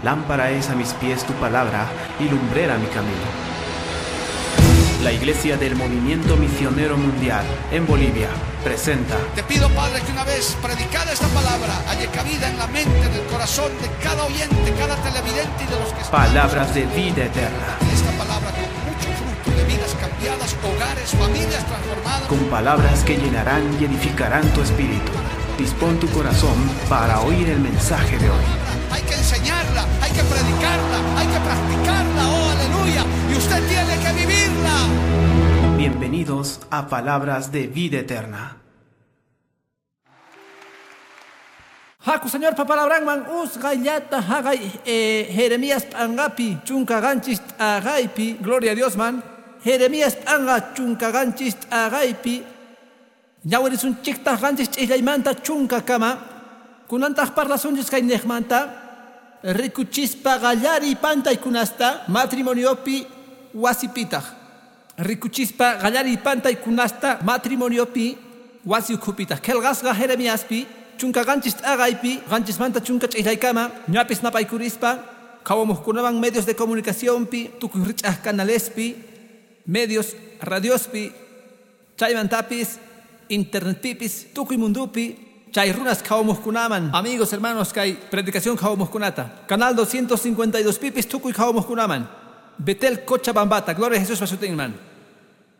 Lámpara es a mis pies tu palabra y lumbrera mi camino. La Iglesia del Movimiento Misionero Mundial en Bolivia presenta. Te pido, Padre, que una vez predicada esta palabra haya cabida en la mente, en el corazón de cada oyente, cada televidente y de los que están. Palabras de vida eterna. Esta palabra con mucho fruto de vidas cambiadas, hogares, familias transformadas. Con palabras que llenarán y edificarán tu espíritu. Dispón tu corazón para oír el mensaje de hoy. Hay que enseñarla, hay que predicarla, hay que practicarla, oh aleluya, y usted tiene que vivirla. Bienvenidos a Palabras de Vida Eterna. Haku Señor papalabranman usqayllata haqay Jeremías p'anqapi chunka qanchis t'aqaypi, gloria a Dios man. Jeremías p'anqa chunka qanchis t'aqaypi ñawirisunchiktaq qanchis ch'illaymanta chunka kama kunantaq parlasunchis kay niqmanta rikuchispa qallariy pantaykunasta matrimoniopi wasipitaq. Rikuchispa qallariy pantaykunasta matrimoniopi wasi ukhupitaq. Qillqasqa Jeremiaspi chunka qanchis t'aqaypi qanchismanta chunka ch'illaykama ñapis napaykurispa qhawamuqkunaman medios de comunicacionpi tukuy rich'aq canalespi medios radiospi chaymantapis internetpipis tukuy mundupi chay runas qhawamuqkunaman. Amigos, hermanos, kay predicación qhawamuqkunata canal 252 pipis tukuy qhawamuqkunaman Betel Cochabambata, gloria a Jesús pasutinman.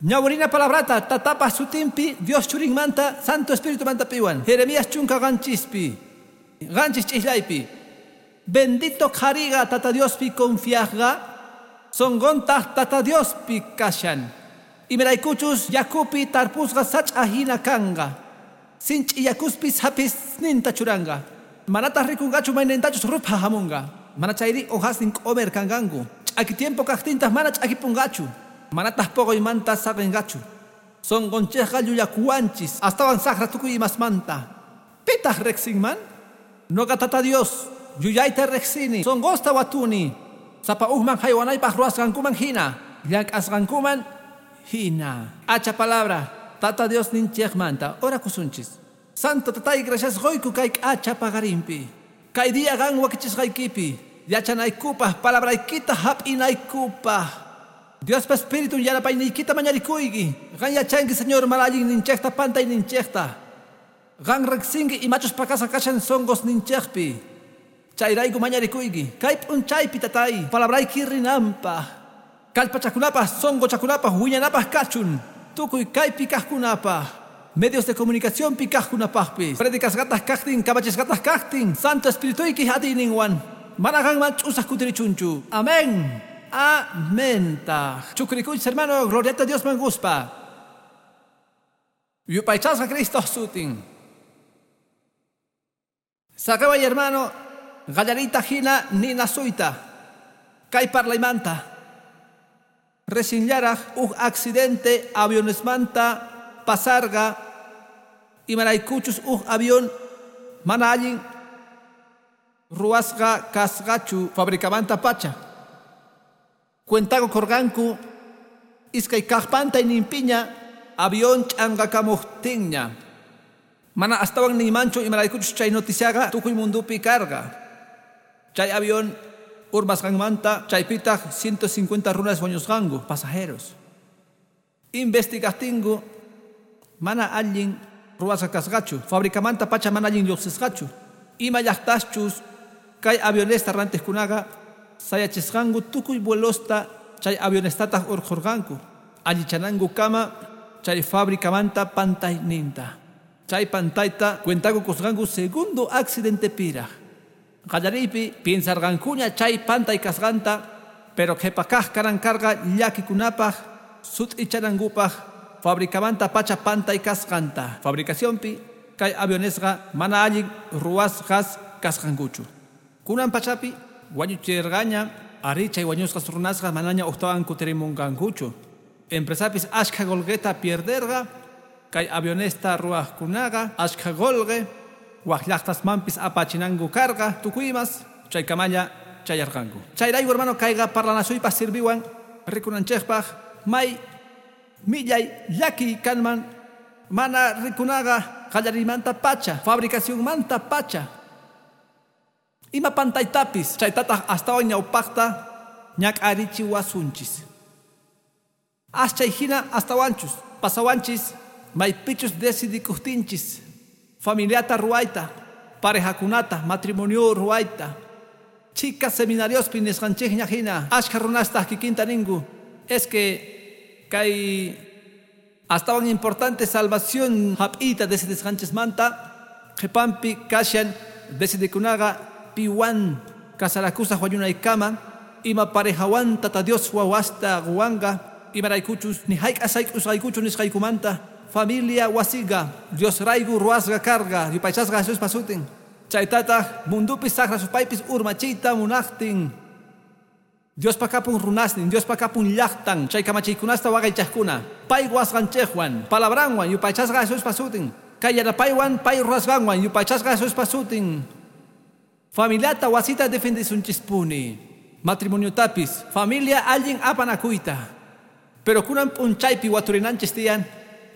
Ñawrina palabrata tatapa sutinpi Dios churinmanta Santo Espíritu manta piwan. Jeremías chunka qanchispi qanchis ch'illaypi. Bendito qhariqa tata Diospi confiaqqa sonqontaq tata Diospi kashan. Imaraykuchus yakupi tarpusqa sach'a hina kanqa. Sinch'i yakuspis hapisninta churanqa. Manataq rikunqachu maynintachus rupha hamunqa. Mana chayri hojasnin q'umer kanqanku. Ch'aki tiempo kaqtintaq mana ch'akipunqachu. Manataq poqoymanta saqinqachu. Sonqonchikqa llullakuwanchis astawan saqra tukuy imasmanta. Pitaq riqsinman? Noqa tata Dios yuyayta riqsini. Sonqosta watuni. Sapa ujman haywanaypaq ruwasqankuman hina. Llank'asqankuman hina. Hacha palabra tata Dios ninchikmanta orakusunchis. Santo tatay gracias qoyku kay k'acha paqarinpi. Kay día qan wakichisqaykipi. Yachanaykupaq palabraykita hap'inaykupaq. Diospa Espíritu yanapayniykita mañarikuyki. Qan yachanki Señor mana allin ninchikta pantay ninchikta. Qan riqsinki imachus pakasqa kashan sonqos ninchikpi. Chayrayku mañarikuyki. Kay p'unchaypi tatay palabrayki rinanpaq. Kallpachakunapaq sonqochakunapaq wiñanapaq kachun. Tukuy kaypi kaqkunapaq. Medios de comunicacionpi kaqkunapaqpis. Predicasqataq kaqtin kamachisqataq kaqtin Santo Espirituyki atiyninwan. Mana qanman ch'usaq kutirichunchu. Amén. Amén. Chukrikuychis hermano, gloriata Dios man guspa. Yupaychasqa Cristo sutin. Saqeway hermano, qallariyta hina ninasuyta. Kay parlaymanta. Resinllaraq uj accidente avionesmanta pasarqa imaraykuchus uj avión mana allin ruwasqa kasqachu fabricamanta pacha. Cuentago korqanku iskay kaq pantayninpiña avión ch'anqakamuqtinña. Mana astawan niymanchu imaraykuchus chay noticiaqa tukuy mundupi karqa. Chay avión urmasqanmanta chaypitaq 150 runas wañusqanku pasajeros. Investigaqtinku mana allin ruwasqa kasqachu fabricamanta pacha mana allin lluqsisqachu. Ima llaqtaschus kay avionesta rantiqkunaqa sayachisqanku tukuy vuelosta chay avionestataq urqhurqanku allichanankukama chay fabricamanta pantayninta. Chay pantayta cuentaku kusqanku segundo accidentepiraq. Qallariypi piensarqankuña chay pantay kasqanta, pero qhipa kaq karan karqa llakikunapaq sut'ichanankupaq fabricamanta pacha pantay kasqanta. Fabricacionpi kay avionesqa mana allin ruwasqas kasqankuchu. Kunan pachapi wañuchirqaña ari chay wañusqas runasqa manaña uqtawan kutirimunqankuchu. Empresapis ashkha qullqita pierderqa kay avionesta ruwaqkunaqa ashkha qullqi wak llaqtasmanpis apachinanku karqa tukuymas chaykamalla chayarqanku. Chayrayku hermano kayqa parlanasuypaq sirviwan rikunanchikpaq may millay llakiy kanman mana rikunaqa qallariymanta pacha fabricacionmanta pacha. Ima pantaytapis chaytataq astawan ñawpaqta ñak'arichiwasunchis. As chay hina astawanchus pasawanchis maypichus decidikuqtinchis familiata ruwayta, parejakunata, matrimonio ruwayta. Chika seminariospi nisqanchikña hina ashkha runastaq kikinta ninku es que kay astawan importante salvación hap'iyta decidisqanchismanta qhipanpi kashan decidikunaqa piwan kasarakusaq wañunaykama ima parejawan Tata Dios wawasta quwanqa imaraykuchus ni hayk'a sayk'usqaykuchu nisqaykumanta familia wasiqa Dios rayku ruwasqa karqa yupaychasqa Jesuspa sutin chaytataq mundupis saqra supaypis urmachiyta munaqtin Diospa kapun runasnin, Diospa kapun llaqtan, chay kamachiykunasta waqaychaqkuna, pay wasqanchikwan, palabranwan yupaychasqa Jesuspa sutin, kay yanapaywan pay ruwasqanwan yupaychasqa Jesuspa sutin. Familiata wasita defendisunchispuni, matrimoniotapis, familia allin apanakuyta. Pero kunan p'unchaypi waturinanchis tiyan,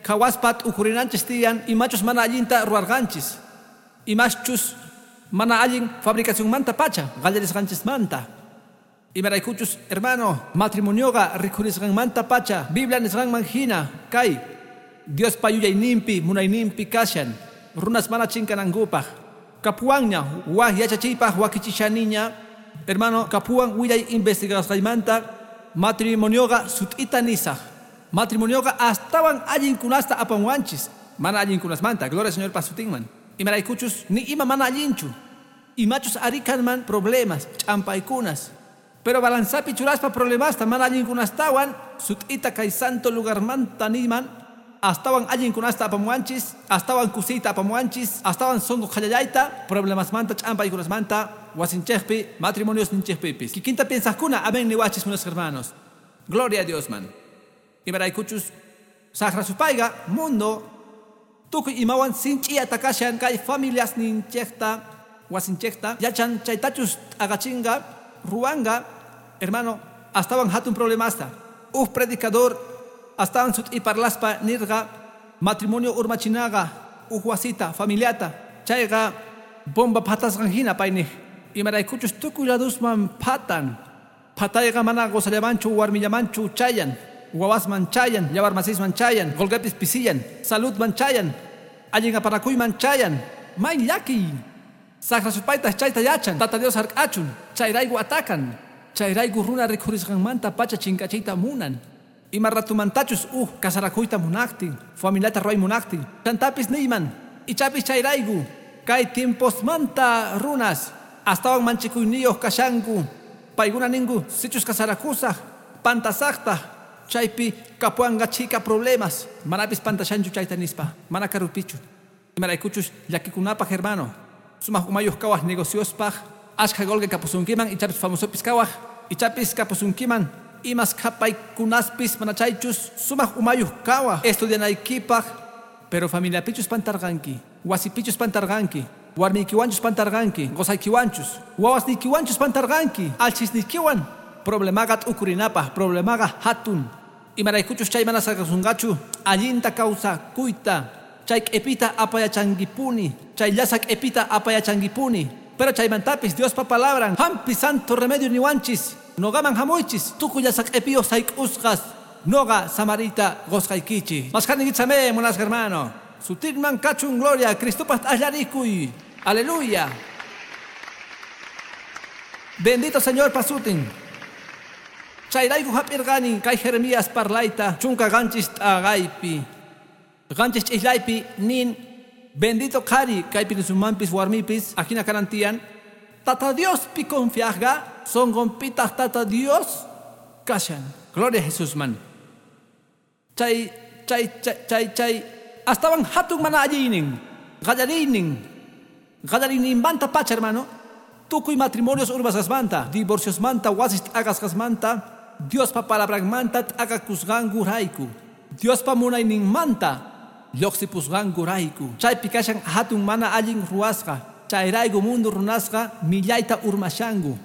qhawaspa t'ukurinanchis tiyan, imachus mana allinta ruwarqanchis, imaschus mana allin fabricacionmanta pacha, qallarisqanchismanta. Imaraykuchus, hermano, matrimonioqa rikhurisqanmanta pacha, Biblia nisqanman hina, kay Diospa yuyayninpi, munayninpi kashan, runas mana chinkanankupaq. Kapuwanña, waj yachachiypaq wakichishaniña, hermano, kapuwan willay investigasqaymanta, matrimonioqa sut'ita nisaq. Matrimonioqa astawan allinkunasta apanwanchis, mana allinkunasmanta, gloria al Señor pasutinman. Imaraykuchus, ni ima mana allinchu. Imachus ari kanman problemas, ch'ampaykunas. Pero balanzapi churaspa problemasta mana allinkunastawan, sut'ita kay santo lugarmanta niman, astawan allinkunasta apamuwanchis, astawan kusiyta apamuwanchis, astawan sunqu qhallallayta, problemasmanta, ch'ampaykunasmanta, wasinchikpi, matrimonios ninchikpipis. Kikinta piensaqkuna, amén niwachis, meus hermanos. Gloria a Dios, man. Imaraykuchus, saqra supayqa, mundo, tukuy imawan sinch'i atakashan kay familias ninchikta, wasinchikta, yachan chaytachus t'aqachinqa, ruwanga, hermano, astawan hatun problemasta. Uj predicador, astawan sut'i parlaspa nirqa, matrimonio urmachinaqa, uj wasita, familiata, chayqa bomba phatasqan hina payniq. Imaraykuchus tukuy ladusman phatan. Phatayqa mana qusallamanchu warmillamanchu chayan, wawasman chayan, yawarmasisman chayan, qolqepis pisiyan, saludman chayan, allin apanakuyman chayan, may llakiy. Saqra supaytaq chayta yachan, Tata Dios hark'achun, chayrayku atakan, chayrayku runa rikhurisqanmanta pacha chinkachiyta munan. Ima ratumantachus uj kasarakuyta munaqtin, familiata ruway munaqtin, chantapis niyman, ichapis chayrayku, kay tiemposmanta runas, astawan manchikuyniyuq kashanku, paykuna ninku sichus kasarakusaq, pantasaqtaq, chaypi kapuwanqa chhika problemas, manapis pantashanchu chayta nispa, mana karupichu. Imaraykuchus llakikunapaq hermano, sumaq umayuq kawaq negociospaq, ashkha qolqe kapusunkiman, ichapis famosopis kawaq, ichapis kapusunkiman, imas qhapaykunaspis mana chaychus, sumaq umayuq kawaq, estudianaykipaq, pero familiapichus pantarqanki, wasipichus pantarqanki, warmiykiwanchus pantarqanki, qusaykiwanchus, wawasniykiwanchus pantarqanki, alchisniykiwan, problemaqa t'ukurinapaq, problemaqa hatun. Imaraykuchus chay mana saqasunqachu, allinta kawsakuyta, chay q'ipita apayachankipuni, chay llasa q'ipita apayachankipuni. Pero chaymantapis Diospa palabran, hampi santo remedio niwanchis, noqaman hamuychis, tukuy llasa q'ipiyuq sayk'usqas, noqa samarita qusqaykichis. Maskhanikichame, munasqa hermano. Sutinman kachun gloria, Cristopaq t'allarikuy. Aleluya. Bendito Señor pasutin. Chayrayku hap'irqani kay Jeremías parlayta chunka qanchis t'aqaypi. Qanchis ch'islaypi nin bendito qhari kaypi nisumanpis warmipis ajina kanan tiyan Tata Diospi confiaqqa sunqunpitaq Tata Dios kashan. Gloria a Jesús man. Chay chay chay chay chay astawan hatun mana alliynin qallariynin qallariyninmanta pacha hermano tukuy matrimonios urmasqasmanta divorciosmanta wasis t'aqasqasmanta Diospa palabranmanta t'aqakusqankurayku Diospa munayninmanta lluqsipusqankurayku chaypi kashan hatun mana allin ruwasqa chayrayku mundo runasqa millayta urmashanku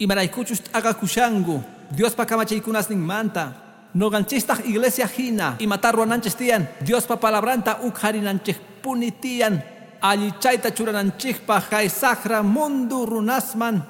imaraykuchus t'aqakushanku Diospa kamachiykunasninmanta noqanchistaq iglesia hina imata ruwananchis tiyan Diospa palabranta uqharinanchikpuni tiyan Allichayta churananchikpaq kay saqra mundu runasman.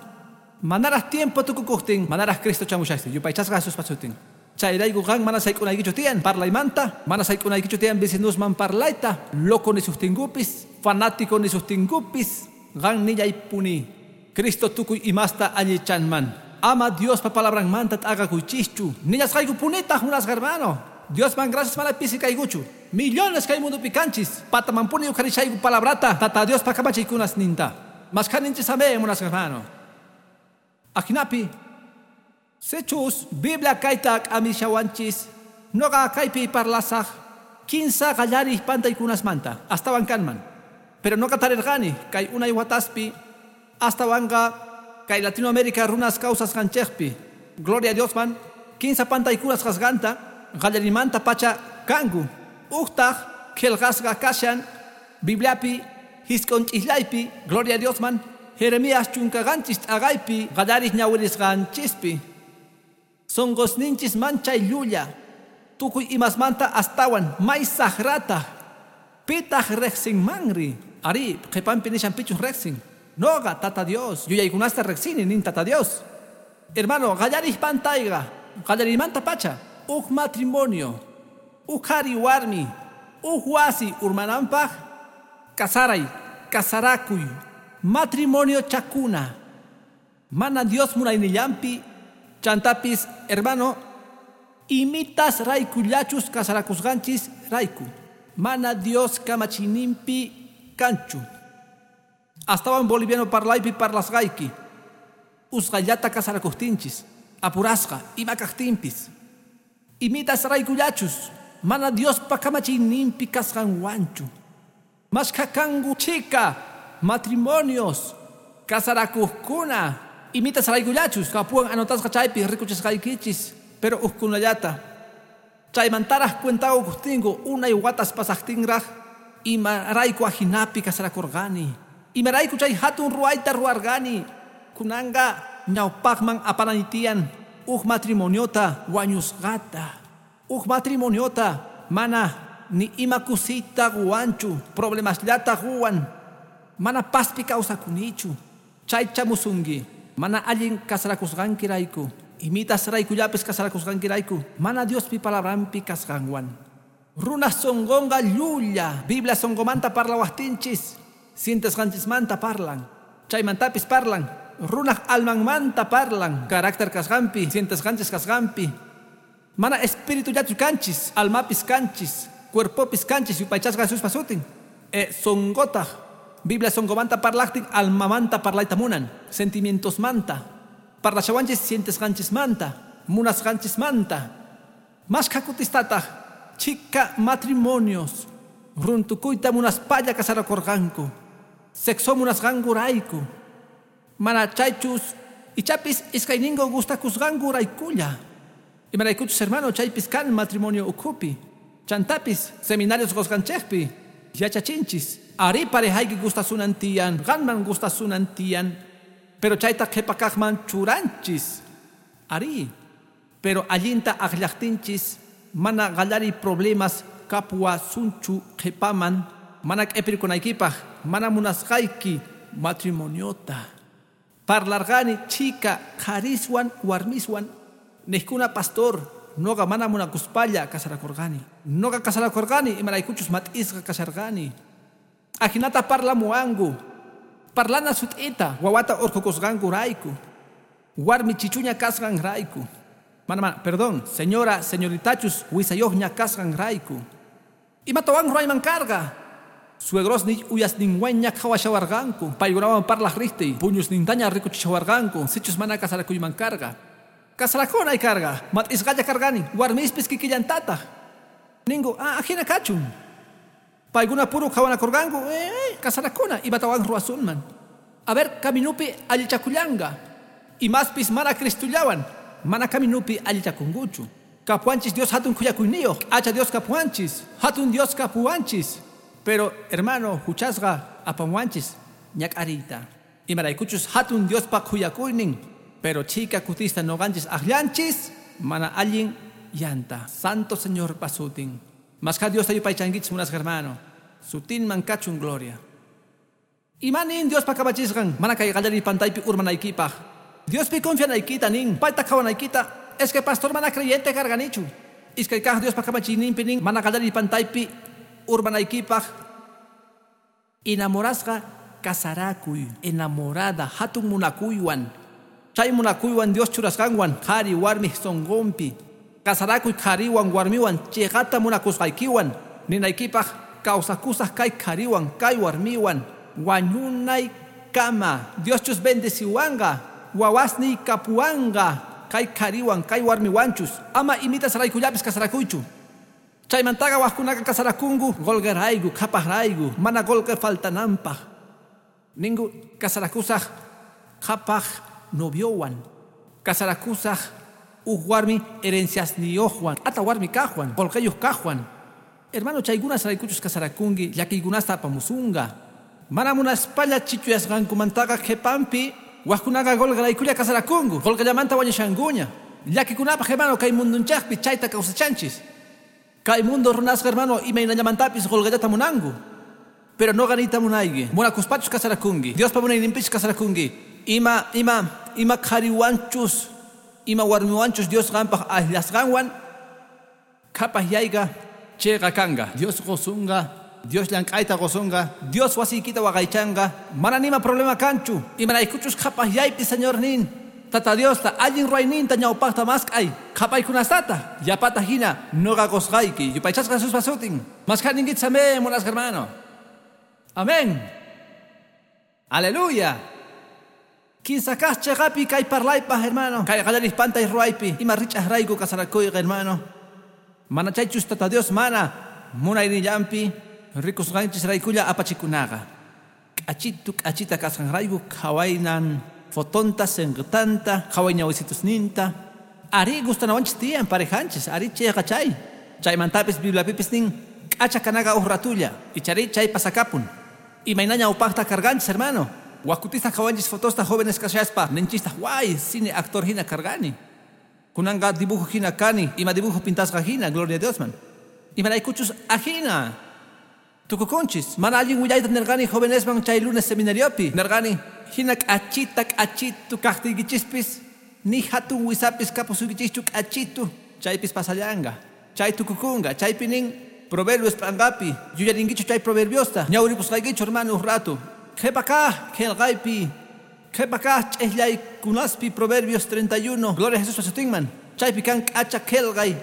Manaraq tiempo tukukuqtin, manaraq Cristo chamushaqtin, yupaychasqa Jesuspa sutin. Chayrayku qan mana sayk'unaykichu tiyan parlaymanta, mana sayk'unaykichu tiyan vecinusman parlayta, loco nisuqtinkupis, fanático nisuqtinkupis, qan nillaypuni. Cristo tukuy imasta allichanman. Ama Diospa palabranmanta t'aqakuychischu. Nillasqaykupunitaq munasqa hermano. Diosman gracias mana pisi kaykuchu. Millones kay mundupi kanchis. Patamanpuni uqharishayku palabrata, Tata Diospa kamachiykunasninta. Mashkhaninchis amén munasqa hermano. Ajinapi, sichus Biblia kayta k'amishawanchis, noqa kaypi parlasaq kinsa qallariq pantaykunasmanta, astawan kanman. Pero noqa tarirqani kay unay wataspi, astawanqa kay Latinoamérica runas kawsasqanchikpi. Gloria a Diosman, kinsa pantaykunas kasqanta, qallarimanta pacha kanku. Uqtaq qillqasqa kashan Bibliapi jisq'un ch'isllaypi, gloria a Diosman, Jeremías 17 t'aqaypi qallariq ñawirisqanchispi. Sunqusninchis manchay llulla, tukuy imasmanta astawan may saqrata. Pitaq riqsinmanri? Arí, qhipanpi nishan pichus riqsin. Noqa, Tata Dios, yuyaykunasta riqsini nin Tata Dios. Hermano, qallariq pantayqa, qallarimanta pacha, uj matrimonio, uj qhari warmi, uj wasi urmananpaq, kasaray, kasarakuy, matrimonio chakuna. Mana Dios munaynillanpi, chantapis, hermano, imitas raykullachus kasarakusqanchis rayku. Mana Dios kamachiyninpi kanchu. Astawan boliviano parlaypi parlasqayki. Usqhayllata kasarakuqtinchis, apurasqa, ima kaqtinpis. Imitas raykullachus, mana Diospa kamachiyninpi kasqanwanchu. Mashkha kanku chhika matrimonios, kasarakuqkuna, imitas raykullachus, kapuwan anotasqa chaypi rikuchisqaykichis, pero ujkunallata. Chaymantaraq cuenta quqtinku unay watas pasaqtinraq, imarayku ajinapi kasarakurqani. Imarayku chay hatun ruwayta ruwarqani. Kunanqa ñawpaqman apanay tiyan uj matrimoniota wañusqata. Uj matrimoniota mana ni ima kusiyta quwanchu, problemasllata quwan. Mana pazpi kawsakunichu. Chay chamusunki, mana allin kasarakusqankirayku, imitas raykullapis kasarakusqankirayku, mana Diospi palabranpi kasqanwan. Runa sunqunqa llulla, Biblia sunqumanta parlawaqtinchis, sientesqanchismanta parlan, chaymantapis parlan, runaq almanmanta parlan, carácter kasqanpi, sientesqanchis kasqanpi. Mana espiritullachu kanchis, almapis kanchis, cuerpopis kanchis, yupaychasqa Jesuspa sutin. Sunqutaq, Biblia sunqumanta parlaqtin almamanta parlayta munan, sentimientosmanta. Parlashawanchis sientesqanchismanta, munasqanchismanta. Mashkha kutistataq chhika matrimonios runtukuyta munaspalla kasarakurqanku, sexo munasqankurayku. Mana chaychus ichapis iskayninku gustakusqankuraykulla. Imaraykuchus hermano chaypis kan matrimonio ukhupi. Chantapis seminarios qusqanchikpi yachachinchis. Ari parejayki gustasunan tiyan, qanman gustasunan tiyan, pero chayta qhipakaqman churanchis. Ari, pero allinta aqllaqtinchis mana qallariy problemas kapuwasunchu qhipaman, mana q'ipirkunaykipaq, mana munasqayki matrimoniota. Parlarqani chhika qhariswan warmiswan, niqkuna pastor, noqa mana munakuspalla kasarakurqani. Noqa kasarakurqani imaraykuchus mat'isqa kasharqani. Ajinata parlamuwanku. Parlana sut'ita wawata urqukusqankurayku. Warmi chichuña kasqanrayku. Mana, mana, perdón, señora, señoritachus wisayuqña kasqanrayku. Imatawan ruwayman karqa. Suegrosniy uyasninwanña qhawashawarqanku. Paykunawan parlaq riqtiy, puñusnintaña rikuchishawarqanku, sichus mana kasarakuyman karqa. Kasarakunay karqa, mat'isqalla karqani, warmispis kikillantataq. Ninku, ajina kachun. Paykuna puru qhawanakurqanku, kasarakuna, imatawan ruwasunman. A ver, kaminupi allichakullanqa. Imaspis mana Cristullawan, mana kaminupi allichakunkuchu. Kapuwanchis Dios hatun khuyakuyniyuq, k'acha Dios kapuwanchis, hatun Dios kapuwanchis. Pero, hermano, huchasqa apamuwanchis ñak'ariyta. Imaraykuchus hatun Diospa khuyakuynin, pero chhika kutista noqanchis aqllanchis, mana allin llanta. Santo Señor pasutin. Mashkha Diosta yupaychankichis munasqa hermano. Sutinman kachun gloria. Imanin Diospa kamachisqan mana kay qallariy pantaypi urmanaykipaq. Diospi confianaykita nin, payta qhawanaykita. Es que pastor mana creyente karganichu. Iskay kaq Diospa kamachiyninpi nin mana qallariy pantaypi urmanaykipaq. Enamorasqa kasarakuy, enamorada hatun munakuywan. Chay munakuywan Dios churasqanwan qhari warmi sunqunpi. Kasarakuy qhariwan warmiwan chiqata munakusqaykiwan ninaykipaq kawsakusaq kay qhariwan kay warmiwan wañunaykama. Dioschus bendeciwanqa, wawasniy kapuwanqa kay qhariwan kay warmiwanchus. Ama imitas raykullapis kasarakuychu. Chaymantaqa waqkunaqa kasarakunku qulqirayku, qhapaqrayku, mana qulqi faltananpaq. Ninku kasarakusaq qhapaq noviowan, kasarakusaq huk warmi herenciasniyuqwan, ata warmi kaqwan, qulqiyuq kaqwan. Hermano, chaykunas raykuchus kasarakunki, llakiykunasta apamusunqa. Mana munaspalla chichuyasqankumantaqa qhipanpi waqkunaqa qulqiraykulla kasarakunku, qulqillamanta wañushankuña. Llakikunapaq, hermano, kay mundunchaqpi chayta kawsachanchis. Kay mundo runasqa, hermano, imaynallamantapis qulqillata munanku. Pero noqa niyta munayki, munakuspachus kasarakunki, Diospa munayninpichus kasarakunki. Ima ima ima qhariwanchus, ima warmiwanchus Dios qampaq akllasqanwan qhapaqyayqa chayqa kanqa. Dios qusunqa, Dios llank'ayta qusunqa, Dios wasiykita waqaychanqa, mana nima problema kanchu. Imaraykuchus qhapaqyaypi Señor nin, Tata Diosta allin ruwayninta ñawpaqta mask'ay, qhapaykunastata yapata hina noqa qusqayki. Yupaychasqa Jesuspa sutin. Mask'aninkichis, amén, munasqa hermano. Amén. Aleluya. Kinsa kaq chiqapi kay parlaypaq, hermano. Kay qallariq pantay ruwaypi ima rich'aqrayku kasarakuyqa, hermano. Mana chaychus Tata Dios mana munaynillanpi rikusqanchisraykulla apachikunaqa. K'achitu k'achita kasqanrayku qhawaynan fotonta, sinqitanta, qhaway ñawisitusninta. Ari gustanawanchis tiyan parejanchis, ari chayqa chay. Chaymantapis Bibliapipis nin k'acha kanaqa huk ratulla, ichari chay pasakapun. Imayna ñawpaqta karqanchis, hermano. Waqkutista qhawanchis fotosta jóvenes kashaspa, ninchistaq way, cine actor hina karqani. Kunanqa dibujo hina kani, ima dibujo pintasqa hina, gloria a Diosman. Imaraykuchus ajina tukukunchis. Mana allin willayta nirqani jovenesman chay lunes seminariopi. Nirqani, hina k'achita k'achitu kaqtiykichispis, ni hatun wisapis kapusuykichischu k'achitu, chaypis pasallanqa. Chay tukukunqa, chaypi nin Proverbios p'anqapi, yuyarinkichu chay proverbiosta, ñawripusqaykichu, hermano, huk rato. Qhipa kaq qillqaypi, qhipa kaq ch'iqllaykunaspi Proverbios 31, gloria a Jesuspa sutinman. Chaypi kan k'acha qillqay,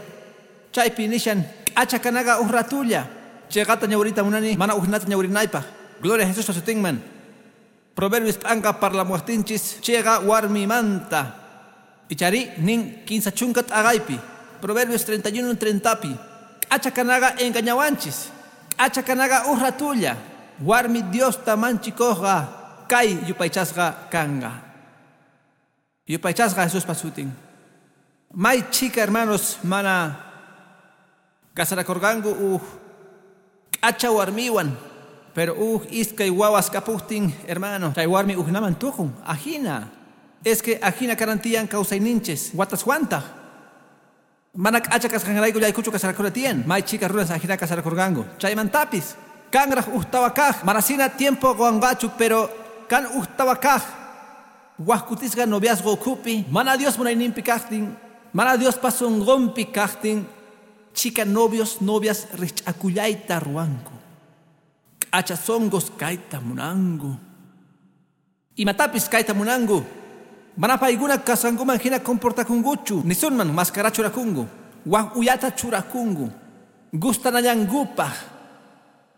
chaypi nishan k'acha kanaqa huk ratulla. Chayqata ñawrita munani, mana huknata ñawrinaypaq. Gloria a Jesuspa sutinman. Proverbios p'anqa parlamuwaqtinchis chayqa warmimanta. Ichari nin 30 t'aqaypi. Proverbios 31 30pi. K'acha kanaqa engañawanchis. K'acha kanaqa huk ratulla. Warmi Diosta manchikuqqa kay yupaychasqa kanqa. Yupaychasqa Jesuspa sutin. May chika, hermanos, mana kasarakurqanku huk k'acha warmiwan. Pero huk iskay wawas kapuqtin, hermano, chay warmi huknaman tukun. Ajina. Es que ajina karantiyan kawsayninchis. Wataswantaq. Mana k'acha kasqanrayku llaykuchu kasarakuna tiyan. May chika runas ajina kasarakurqanku. Chaymantapis kanraq huktawa kaq. Manasina tiempo quwanqachu, pero kan huktawa kaq. Waqkutisqa noviazgo ukhupi, mana Dios munayninpi kaqtin, mana Diospa sunqunpi kaqtin, chika novios, novias rich'akullayta ruwanku. K'acha sunqus kayta munanku. Imatapis kayta munanku. Mana paykuna kasqankuman hina comportakunkuchu. Nisunman máscara churakunku. Waq uyata churakunku. Gustanallankupaq.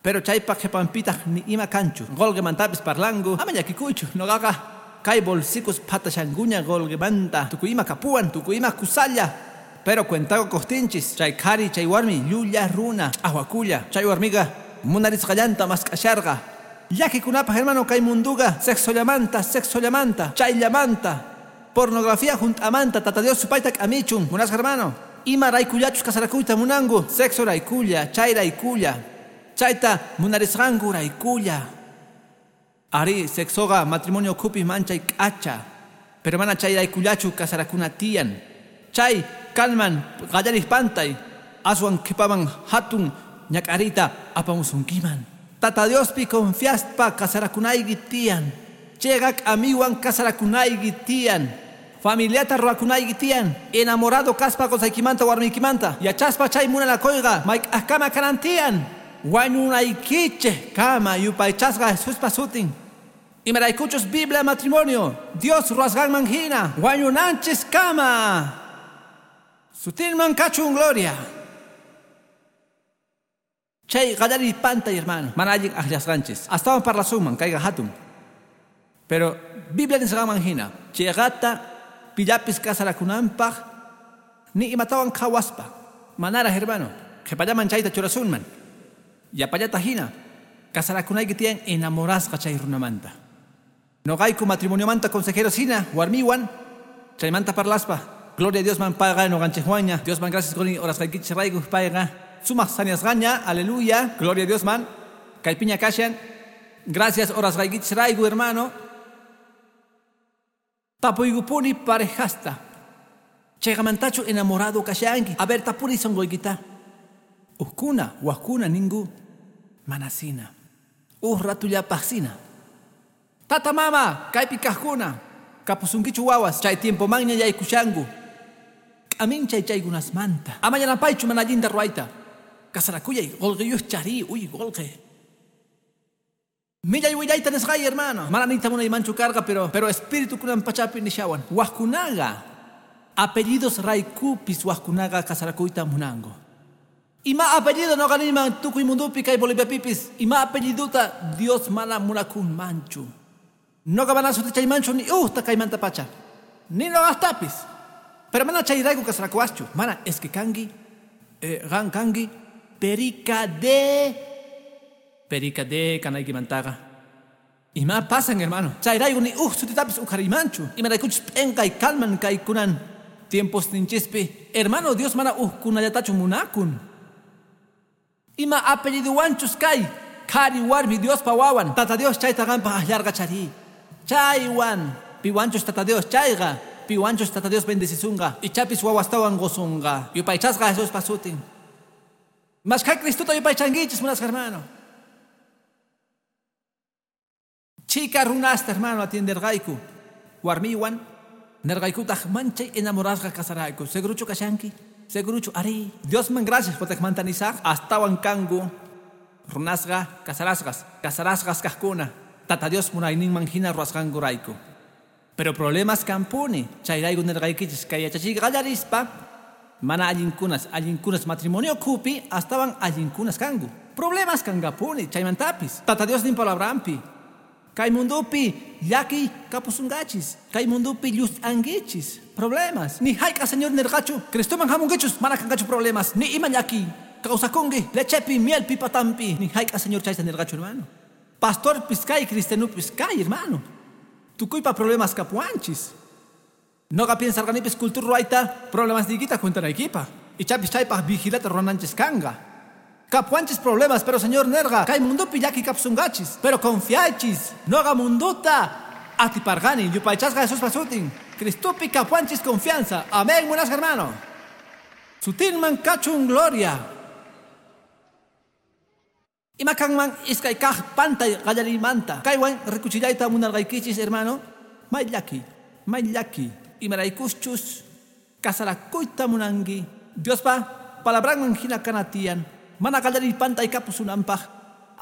Pero chaypaq qhipanpitaq ni ima kanchu. Qulqimantapis parlanku. Ama llakikuychu. Noqaqa kay bolsicos phatashankuña qulqimanta. Tukuy ima kapuwan, tukuy ima kusalla. Pero cuentaqa quqtinchis. Chay qhari, chay warmi llulla runa, ch'aqwakulla. Chay warmiqa munarisqallanta mask'asharqa. Llakikunapaq, hermano, kay munduqa sexollamanta, sexollamanta, chayllamanta, pornografía junt'amanta, Tata Dios supayta k'amichun. Munasqa, hermano, ima raykullachus kasarakuyta munanku, sexo raykulla, chay raykulla, chayta munarisqanku raykulla. Ari, sexoqa matrimonio ukhupi manchay k'acha, pero mana chay raykullachu kasarakuna tiyan. Chay kanman qallariq pantay, aswan qhipaman hatun ñak'ariyta apamusunkiman. Tata Diospi confiaspa kasarakunayki tiyan. Chegak amiwan kasarakunayki tiyan. Familiata ruwakunayki tiyan. Enamorado kaspa qosaykimanta warmiykimanta. Yachaspa chay munanakoyqa mayk'aqkama kanan tiyan. Wañunaykichik kama yupaychasqa Jesuspa sutin. Imaraykuchus Biblia matrimonio Dios ruwasqanman hina wañunanchis kama. Sutinman kachun gloria. Chay qallariy pantay hermano. Mana allin aqllasqanchis. Astawan parlasunman kayqa hatun. Pero Biblia nisqanman hina chayqata pillapis kasarakunanpaq ni imatawan qhawaspa. Manaraq hermano. Qhipallaman chayta churasunman. Yapallata hina kasarakunayki tiyan enamorasqa chay runamanta. Noqayku matrimoniomanta consejeros hina warmiwan chaymanta parlaspa. Gloria a Dios man payqa noqanchikwanña. Dios man gracias quni orasqaykichis rayku payqa sumaq saniasqaña. Aleluya. Gloria a Dios man. Kaypiña kashan. Gracias orasqaykichis rayku hermano. Tapuykupuni parejasta. Chayqamantachu enamorado kashanki. A ver tapuri sonqoykita. Ukkuna, wajkuna ninku manasina. Uj ratullapaqsina. Tata mama, kaypi kaqkuna. Kapusunkichu wawas, chay tiempomanña yaykushanku. K'aminchay chaykunasmanta. Ama yanapaychu mana allinta ruwayta. Kasarakuyay, qolqeyuq chari, uy qolqe. Millay willayta nisqay hermano. Mana niyta munaymanchu karqa, pero espíritu kunan pachapi nishawan. Wajkunaqa apellidos raykupis wajkunaqa kasarakuyta munanku. Ima apellido noqa niyman tukuy mundupi kay Boliviapipis. Ima apelliduta Dios mana munakunmanchu. Noqa mana sutichaymanchu ni ujta kaymanta pacha. Ni noqastapis. Pero mana chayrayku kasarakuwaschu. Mana es que kanki, qan kanki, perica de kanaykimantaqa. Ima pasan hermano. Chayrayku ni uj sutitapis uqhariymanchu. Imaraykuchus p'enqay kalman kaykunan tiempos ninchispi. Hermano, Dios mana ujkunallatachu munakun. Ima apelliduwanchus kay qhari warmi Diospa wawan. Tata Dios chayta qanpaq aqllarqa chari. Chaywan piwanchus Tata Dios chayqa. Piwanchus Tata Dios bendecisunqa. Ichapis wawastawan gosunqa. Yupaychasqa Jesuspa sutin. Mashkha Cristuta yupaychankichis munasqa hermano. Chika runasta hermano atienderqayku. Warmiwan nerqaykutaq manchay enamorasqa kasarayku. Seguruchu kashanki? Seguruchu ari. Diosman gracias potaqmanta nisaq. Astawan kanku runasqa kasarasqas. Kasarasqas kaqkuna. Tata Dios munayninman hina ruwasqankurayku. Pero problemas kampuni. Chayrayku nerqaykichis kay yachachiyqa qallarispa mana allinkunas matrimonio kupi astawan allinkunas kanku. Problemas kankapuni chaymantapis. Tata Dios nin palabranpi. Kay mundupi llaki kapusunkachis. Kay mundupi llust'ankichis. Problemas. Ni hayk'a Señor nerqachu. Cristoman hamunkichus mana kankachu problemas. Ni ima llaki. Kawsakunki lechepi mielpi patampi. Ni hayk'a Señor chayta nerqachu hermano. Pastorpis kay cristianupis kay hermano. Tukuypa problemas kapuanchis. Noqa piensarqanipis cultura ruwayta problemas niykita cuentanaykipa. Ichapis chaypaq vigilata ruwananchis kanqa. Kapuanchis problemas, pero Señor nerqa kay mundupi llaki kapusunkachis. Pero confiaychis. Noqa munduta atiparqani yupaychasqa Jesuspa sutin. Cristupi kapuanchis confianza. Amén, munasqa hermano. Sutinman kachun gloria. Ima kanman iskay kaq pantay qallariymanta. Kaywan rikuchillayta munarqaykichis hermano. May llaki, may llaki. Imaraykuschus kasarakuyta munanki. Diospa palabranman hina kanatiyan. Mana qallariy pantay kapusunanpaq.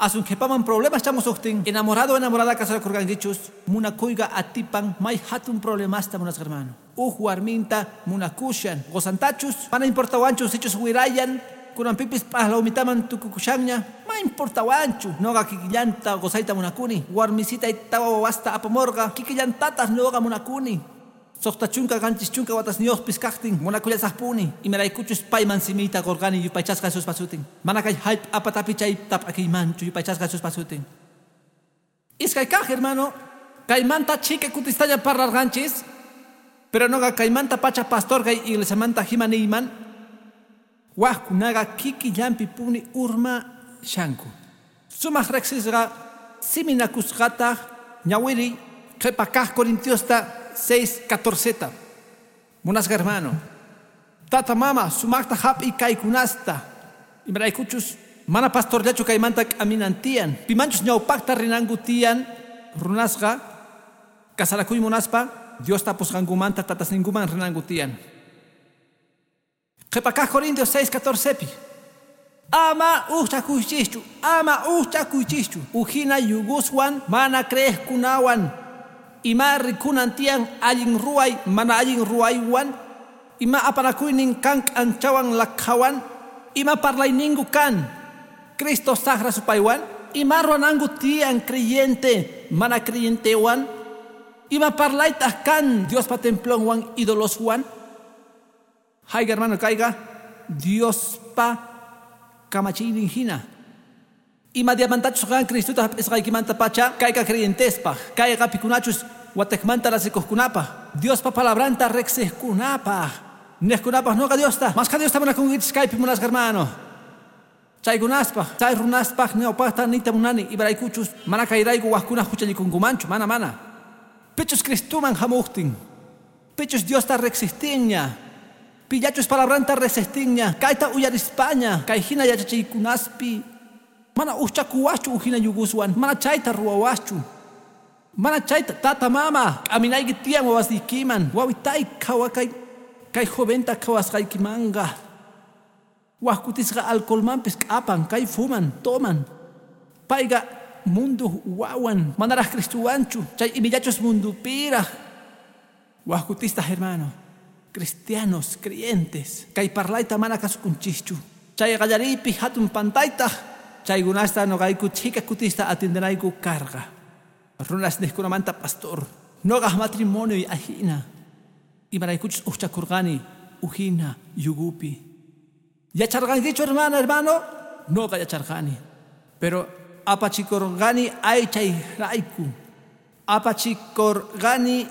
Asun qhipaman problemas chamusuqtin. Enamorado enamorada kasarakurqankichus. Munakuyqa atipan may hatun problemasta munasqa hermano. Uj warminta munakushan. Qosantachus mana importawanchus sichus wirayan. Kunanpipis p'aqlawmitaman tukukushanña. Ma importawanchu. Noqa kikillanta qosayta munakuni. Warmisitay tawa wawasta apamurqa. Kikillantataq noqa munakuni. Suqta chunka qanchis chunka watasniyuqpis kaqtin munakullasaqpuni. Imaraykuchus payman simiyta qurqani yupaychasqa Jesuspa sutin. Mana kay hallp'a patapi chay tap'akiymanchu yupaychasqa Jesuspa sutin. Iskay kaq hermano, kaymanta chika kutistaña parlarqanchis. Pero noqa kaymanta pacha pastor kay iglesiamanta hima niyman. Wajkunaqa kikillanpi puni urma shanku. Sumaq riqsisqa siminakusqataq ñawiri qhipa kaq Corintiosta 6:14. Munasqa hermano. Tata mama sumaqta hap'i kaykunasta. Imaraykuchus Mana pastorllachu kaymanta k'aminan tiyan. Pimanchus ñawpaqta rinanku tiyan runasqa kasarakuy munaspa Dios tapusqankumanta tatasninkuman rinanku tiyan. Qhipa kaq Corintios 6:14pi. Ama uchakuychischu, ama uchakuychischu. Ujina yuguswan mana creejkunawan. Ima rikunan tiyan allin ruway mana allin ruwaywan. Ima apanakuynin kan k'anchawan lakhawan. Ima parlayninku kan Cristo saqra supaywan. Ima ruwananku tiyan creyente mana creyentewan. Ima parlaytaq kan Diospa templonwan ídoloswan. Hayga hermano kayqa Diospa kamachiynin hina. Ima diamantachus qan Cristota hap'isqaykimanta pacha kayqa creyentespaq, kayqa pikunachus wateqmanta rasikuqkunapaq, Diospa palabranta riqsiqkunapaq, niqkunapaq noqa Diosta, mashkha Diosta munakunkichis kaypi munasqa hermano. Chaykunaspaq, chay runaspaq ñawpaqta niyta munani imaraykuchus mana kayrayku wajkuna huchallikunkumanchu, mana mana. Pichus Cristuman hamuqtin, pichus Diosta riqsiqtinña, pillachus palabranta riqsiqtinña, kayta uyarispaña, kay hina yachachiykunaspi, mana uchakuwaschu ujina yuguswan, mana chayta ruwawaschu, mana chayta tata mama, k'aminayki tiyan wawasniykiman, wawitay qhawakay, kay joventa qhawasqaykimanqa. Wajkutisqa alcoholmanpis k'apan, kay fuman, toman. Payqa mundu wawan, manaraq Cristuwanchu, chay imillachus mundupiraq. Wajkutista hermano, cristianos, creyentes, kay parlayta mana kasukunchischu. Chay qallariypi hatun pantaytaq, chaykunasta noqayku chhika kutista atiendenayku karqa. Runas niqkunamanta pastor, noqaq matrimonioy ajina. Imaraykuchus uqchakurqani ujina yugupi. Yacharqankichu hermana, hermano? Noqa yacharqani. Pero apachikurqani aychayrayku. Apachikurqani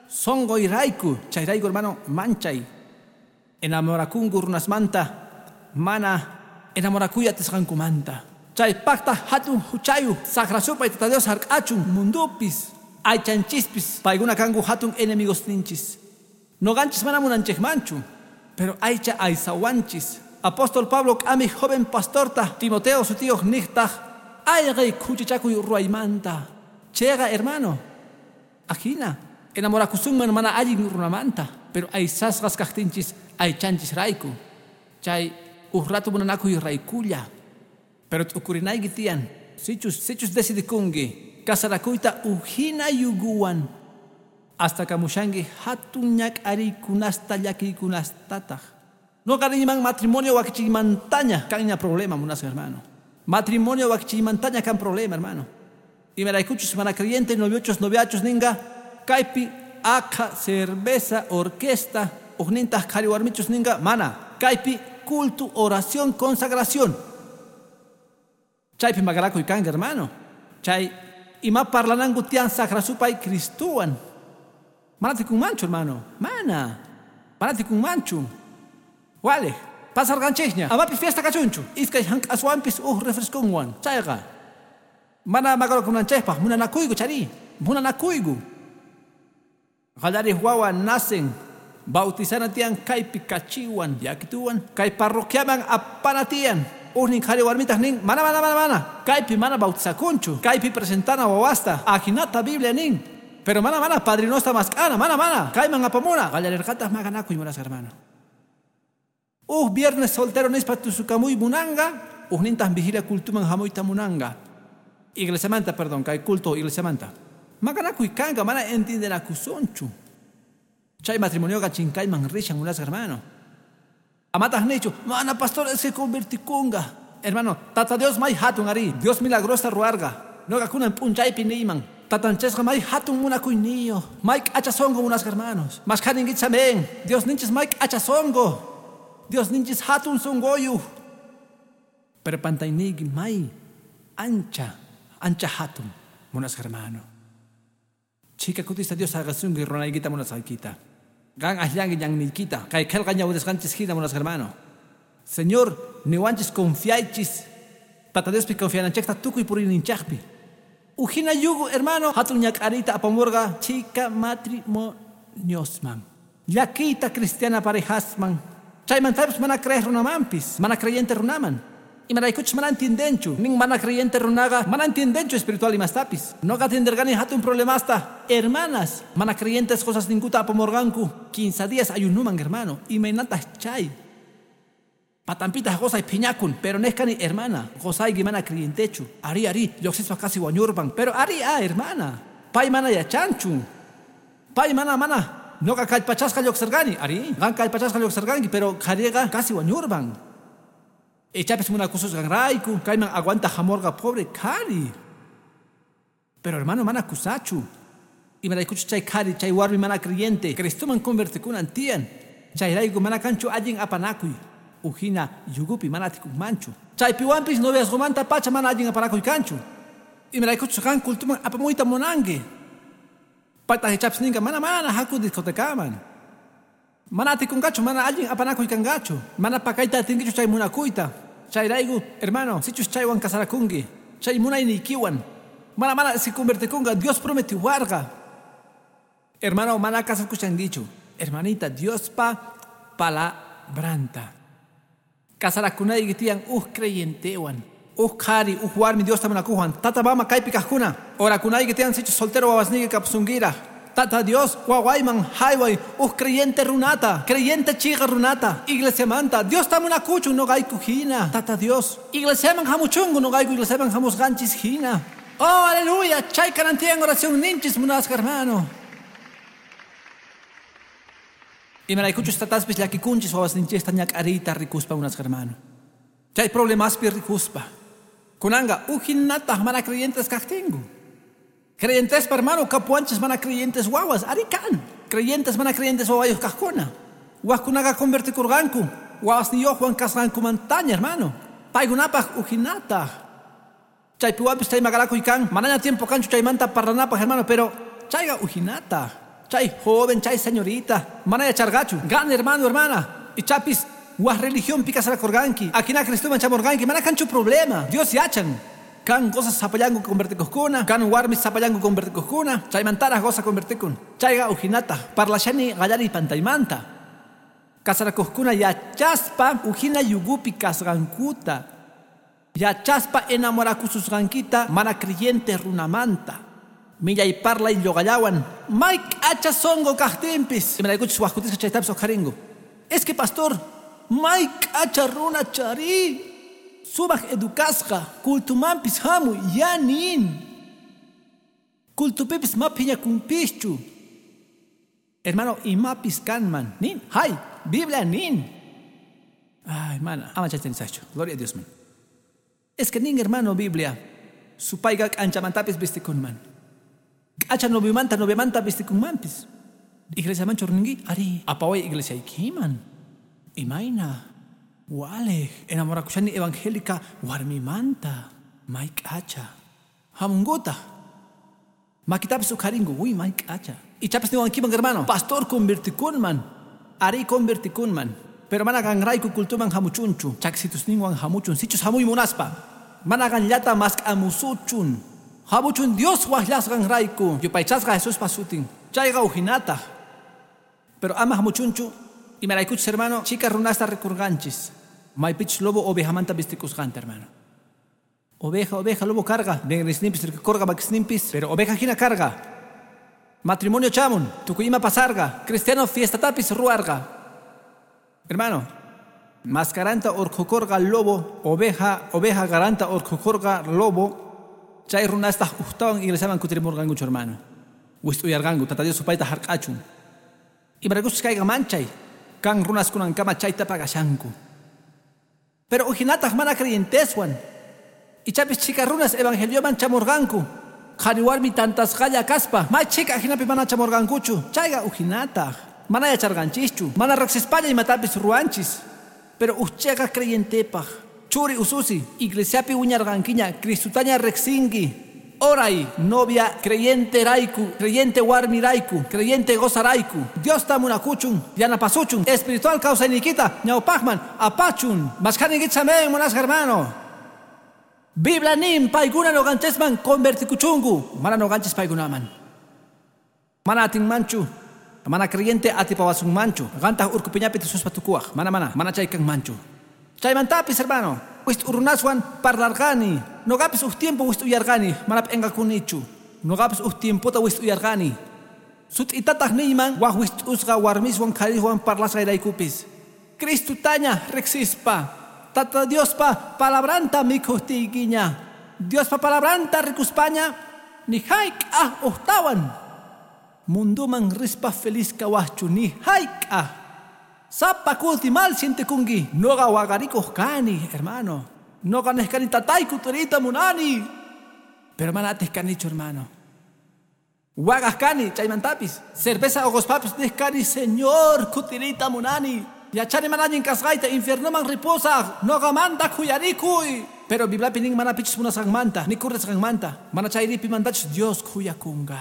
sonqoyrayku. Chayrayku hermano, manchay. Enamorakunku runasmanta, mana enamorakuy atisqankumanta. Chaypaqta hatun huchayu, saqra supay Tata Dios hark'achun mundupis, aychanchispis, paykuna kanku hatun enemigos ninchis. Noqanchis mana munanchikmanchu, pero aycha aysawanchis. Apóstol Pablo k'ami joven pastorta Timoteo sutiyuq niqtaq ayqay khuchichakuy ruwaymanta. Chayqa hermano, ajina enamorakusunman mana allin runamanta, pero aysasqas kaqtinchis aychanchis rayku. Chay uj ratu munanakuy raykulla. Pero t'ukurinayki tiyan, sichus decidikunki kasarakuyta ujina yuguwan, hasta kamushanki hatun ñak'ariykunasta llakiykunastataq. Noqa niyman matrimonio wakichiymantaña kanña problema munasqa hermano. Matrimonio wakichiymantaña kan problema hermano. Imaraykuchus mana creyente noviochus noviachus ninqa kaypi akha cerveza orquesta ujnintaq qhari warmichus ninqa mana kaypi culto oración consagración. Chaypi maqanakuy kanqa hermano. Chay ima parlananku tiyan saqra supay Cristuwan. Mana tikunmanchu hermano, mana. Mana tikunmanchu. Wale, pasarqanchikña. Amapis fiesta kachunchu. Iskay hank'aswanpis uj refresconwan. Chayqa mana maqanakunanchikpaq munanakuyku chari, munanakuyku. Qallariq wawa nacen, bautizana tiyan kaypi kachiwan, yakituwan, kay parroquiaman apana tiyan. Ujnin qhari warmitaq nin, mana mana mana mana, kaypi mana bautizakunchu, kaypi presentana wawasta, ajinata Biblia nin. Pero mana mana padrinosta mask'ana, mana mana, kayman apamuna. Qallarirqataq maqanakuy munasqa hermano. Uj viernes soltero nispa tusukamuy munanqa, ujnintaq vigilia cultuman hamuyta munanqa. Iglesiamanta, perdón, kay culto iglesiamanta. Maqanakuy kanqa, mana entiendenakusunchu. Chay matrimonioqa chinkayman rishan munasqa hermano. Amataq nichu, mana pastor es que convertikunqa. Hermano, Tata Dios may hatun ari, Dios milagrosa ruwarqa. Noqa kunan p'unchaypi niyman. Tatanchesqa may hatun munakuyniyuq, may k'achasonqo munasqa hermanos. Mashkhaninkichis amén. Dios ninchis may k'achasonqo. Dios ninchis hatun sonqoyuq. Pero pantayniyki may ancha, ancha hatun munasqa hermano. Chhika kutista Dios saqasunki runaykita munasqaykita. Qan akllanki ñanniykita, kay qillqa ñawirasqanchis hina munasqa hermano. Señor, niwanchis confiaychis. Tata Diospi confiananchikta tukuy puriyninchikpi. Ujina yugu hermano, hatun ñak'ariyta apamurqa chhika matrimoniosman. Llakiyta cristiana parejasman. Chaymantapis mana creer runamanpis, mana creyente runaman. Imaraykuchus mana entiendenchu. Nin mana creyente runaqa mana entiendenchu espiritual imastapis. Noqa atenderqani hatun problemasta. Hermanas, mana creyentes qosasninkuta apamurqanku. 15 días ayunuman, hermano. Imaynataq chay. Patampitaq qosay phiñakun, pero nehkani hermana, qosayki mana creyentechu. Ari ari, lluqsispa casi wañurpan, pero ari a hermana. Pay mana yachanchu. Pay mana mana. Noqa kallpachasqa lluqsirqani, ari. Qan kallpachasqa lluqsirqanki, pero qhariqa casi wañurpan. Ichapis munakususqanrayku, kayman aguanta hamurqa pobre qhari. Pero hermano mana kusachu. Imaraykuchus chay qhari, chay warmi mana creyente, Cristoman convertikunan tiyan. Chayrayku mana kanchu allin apanakuy. Ujina yugupi mana atikunmanchu. Chaypiwanpis noviazgomanta pacha mana allin apanakuy kanchu. Imaraykuchus qan cultuman apamuyta munanki. Paytaq ichapis ninqa mana mana haku discotecaman. Mana atikunqachu, mana allin apanakuy kanqachu. Mana pakayta atinkichu chay munakuyta. Chayrayku, hermano, sichus chaywan casarakunki, chay munayniykiwan. Mana mana si convertikunqa, Dios prometiwarqa. Hermano, mana casakushankichu. Hermanita, Diospa palabranta. Casarakunayki tiyan uj creyentewan. Uj qhari, uj warmi Diosta munakuwan. Tata mama kaypi kaqkuna. Orakunayki tiyan sichus soltero wawasniyki kapsunkirak. Tata Dios, wawayman hayway, uj creyente runata, creyente chiqa runata, iglesiamanta, Diosta munakuchun noqayku hina. Tata Dios, iglesiaman hamuchunku noqayku iglesiaman hamusqanchis hina. Oh, aleluya, chay kanan tiyan oración ninchis munasqa hermano. Imaraykuchus tataspis llakikunchis wawasninchista ñak'ariyta rikuspa munasqa hermano. Chay problemaspi rikuspa. Kunanqa ujinataq mana creyentes kaqtinku. Creyentes, hermano, kapuanchis mana creyentes wawas, ari kan. Creyentes mana creyentes wawayuq kaqkuna. Wajkunaqa convertikurqanku, wawasniyuqwan kasqankumantaña, hermano. Paykunapaq ujinataq. Chaypiwanpis chay maqanakuy kan, manaña tiempo kanchu chaymanta parlanapaq, hermano, pero chayqa ujinataq. Chay joven, chay señorita, mana yacharqachu. Gan hermano, hermana, ichapis waj religionpi casarakurqanki, akina Cristoman chamurqanki, mana kanchu problema. Dios yachan. Kan qosas sapallanku convertikuqkuna, kan warmis sapallanku convertikuqkuna, chaymantaraq qosa convertikun. Chayqa ujinataq, parlashani qallariy pantaymanta. Casarakuqkuna yachaspa ujina yugupi kasqankuta. Yachaspa enamorakususqankita mana creyente runamanta. Millay parlay lluqallawan, may k'acha sonqo kaqtinpis. Imaraykuchus wajkutisqa chaytapis uqharingu. Es que pastor, may k'acha runa chari. Sumaq educasqa, cultumanpis hamuy, ya nin. Cultupipis ma phiñakunpischu. Hermano, imapis kanman, nin. Hay, Biblia nin. Ay, mana, ama chayta nisaqchu. Gloria a Dios, man. Es que nin, hermano, Biblia. Supayqa k'anchamantapis vistikunman. K'acha noviomanta, noviamanta vistikunmanpis. Iglesiamanchu rinki? Ari, apaway iglesiaykiman. Imayna. Wale, enamorakushani evangélica warmimanta, may k'acha. Hamunguta. Makitapis uqharingu, uy, may k'acha. Ichapis niwankiman, hermano, pastor convertikunman, ari convertikunman. Pero mana qanrayku cultuman hamuchunchu, chaksitusninwan hamuchun, sichus hamuy munaspa. Mana qanllata mask'amusuchun. Hamuchun Dios waqllasqanrayku, yupaychasqa Jesuspa sutin. Chayqa ujinataq. Pero ama hamuchunchu. Imaraykuchus, hermano, chika runasta rikurqanchis. Maypichus lobo ovejamanta vistikusqanta, hermano. Oveja, oveja, lobo carga. Ningrisninpis rikurqa makisninpis, pero oveja hina carga. Matrimonio chamun, tukuy ima pasarqa. Cristiano fiestatapis ruwarqa. Hermano, mascaranta urqhukurqa lobo, oveja, oveja garanta urqhukurqa lobo. Chay runastaq ujtawan iglesiaman kutirimurqankuchu, hermano. Wist'uyarqanku, Tata Dios supayta hark'achun. Imaraykuchus kayqa manchay. Kan runaskunankama chayta pagashanku. Pero ujinataq mana creyenteswan. Ichapis chika runas evangelioman chamurqanku. Qhari warmi tantasqalla kaspa, may chika ajinapi mana chamurqankuchu. Chayqa ujinataq. Mana yacharqanchischu. Mana riqsispalla imatapis ruwanchis. Pero uj chiqa creyentepaq. Churi ususi, iglesiapi wiñarqankiña, Cristutaña riqsinki. Oray, novia, creyente rayku, creyente warmi rayku, creyente qosarayku. Diosta munakuchun, yanapasuchun, espiritual kawsayniykita, ñawpaqman, apachun. Mashkhaninkichis amén, munasqa hermano. Biblia nin paykuna noqanchisman convertikuchunku, mana noqanchis paykunaman. Mana atinmanchu, mana creyente atipawasunmanchu. Qantaq urku piñapi tususpa tukuwaq, mana mana, mana chay kanmanchu. Chaymantapis, hermano, Wist'urunaswan parlarqani. Noqapis uj tiempo wist'uyarqani, mana p'inqakunichu. Noqapis uj tiempota wist'uyarqani. Sut'itataq niyman waj wist'usqa warmiswan qhariswan parlasqayraykupis. Cristutaña riqsispa, Tata Diospa palabranta mikhuqtiykiña, Diospa palabranta rikuspaña, ni hayk'aq ujtawan munduman rispa feliz kawaqchu, ni hayk'aq. Sapa kuti mal sientekunki. Noqa waqarikuq kani, hermano. Noqa nej kani tatay kutiriyta munani. Pero mana atiq kanichu, hermano. Waqaq kani chaymantapis. Cerveza uquspapis nej kani, Señor, kutiriyta munani. Yachani mana allin kasqayta infiernoman ripusaq. Noqamanta khuyarikuy. Pero Bibliapi nin mana pichus munasqanmanta, ni kurrisqanmanta. Mana chayri pimantachus Dios khuyakunqa.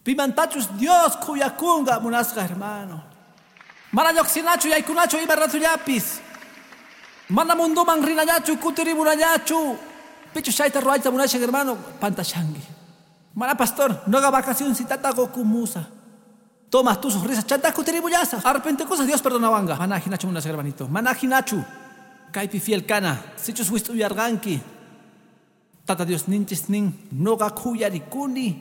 Pimantachus Dios khuyakunqa, munasqa hermano. Mana lluqsinachu yaykunachu ima ratullapis. Mana munduman rinallachu kutirimunallachu. Pichus chayta ruwayta munashan, hermano, pantashanki. Mana pastor, noqa vacacioncitata qukumusa. Tomas tus risas, chanta kutirimullasa. Arrepentikusas Dios perdonawanqa. Mana hinachu munasqa, hermanito. Mana hinachu. Kaypi fiel kana. Sichus wist'uyarqanki. Tata Dios ninchis nin noqa khuyarikuni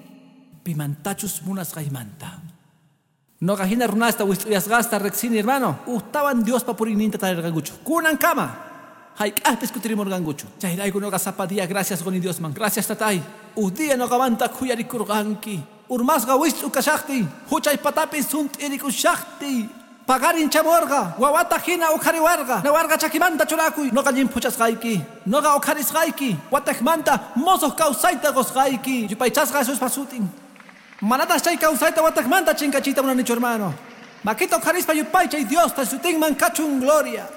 pimantachus munasqaymanta. Noqa hina runasta wist'uyasqasta riqsini, hermano. Ujtawan Diospa puriyninta tarirqankuchu. Kunankama. Hayk'aqpis kutirimurqankuchu. Chayrayku noqa sapa día gracias quni Diosman. Gracias tatay. Uj día noqamanta khuyarikurqanki. Urmasqa wist'u kashaqtiy. Huchay patapis sunt'irikushaqtiy. Paqarin chamurqa. Wawata hina uqhariwarqa. Nawarqa chakimanta churakuy. Noqa llimphuchasqayki. Noqa uqharisqayki. Wataqmanta mosoq kawsayta qusqayki. Yupaychasqa Jesuspa sutin. Manataq chay kawsayta wataqmanta chinkachiyta munanichu, hermano. Makita uqharispa yupaychay Diosta sutinman kachun gloria.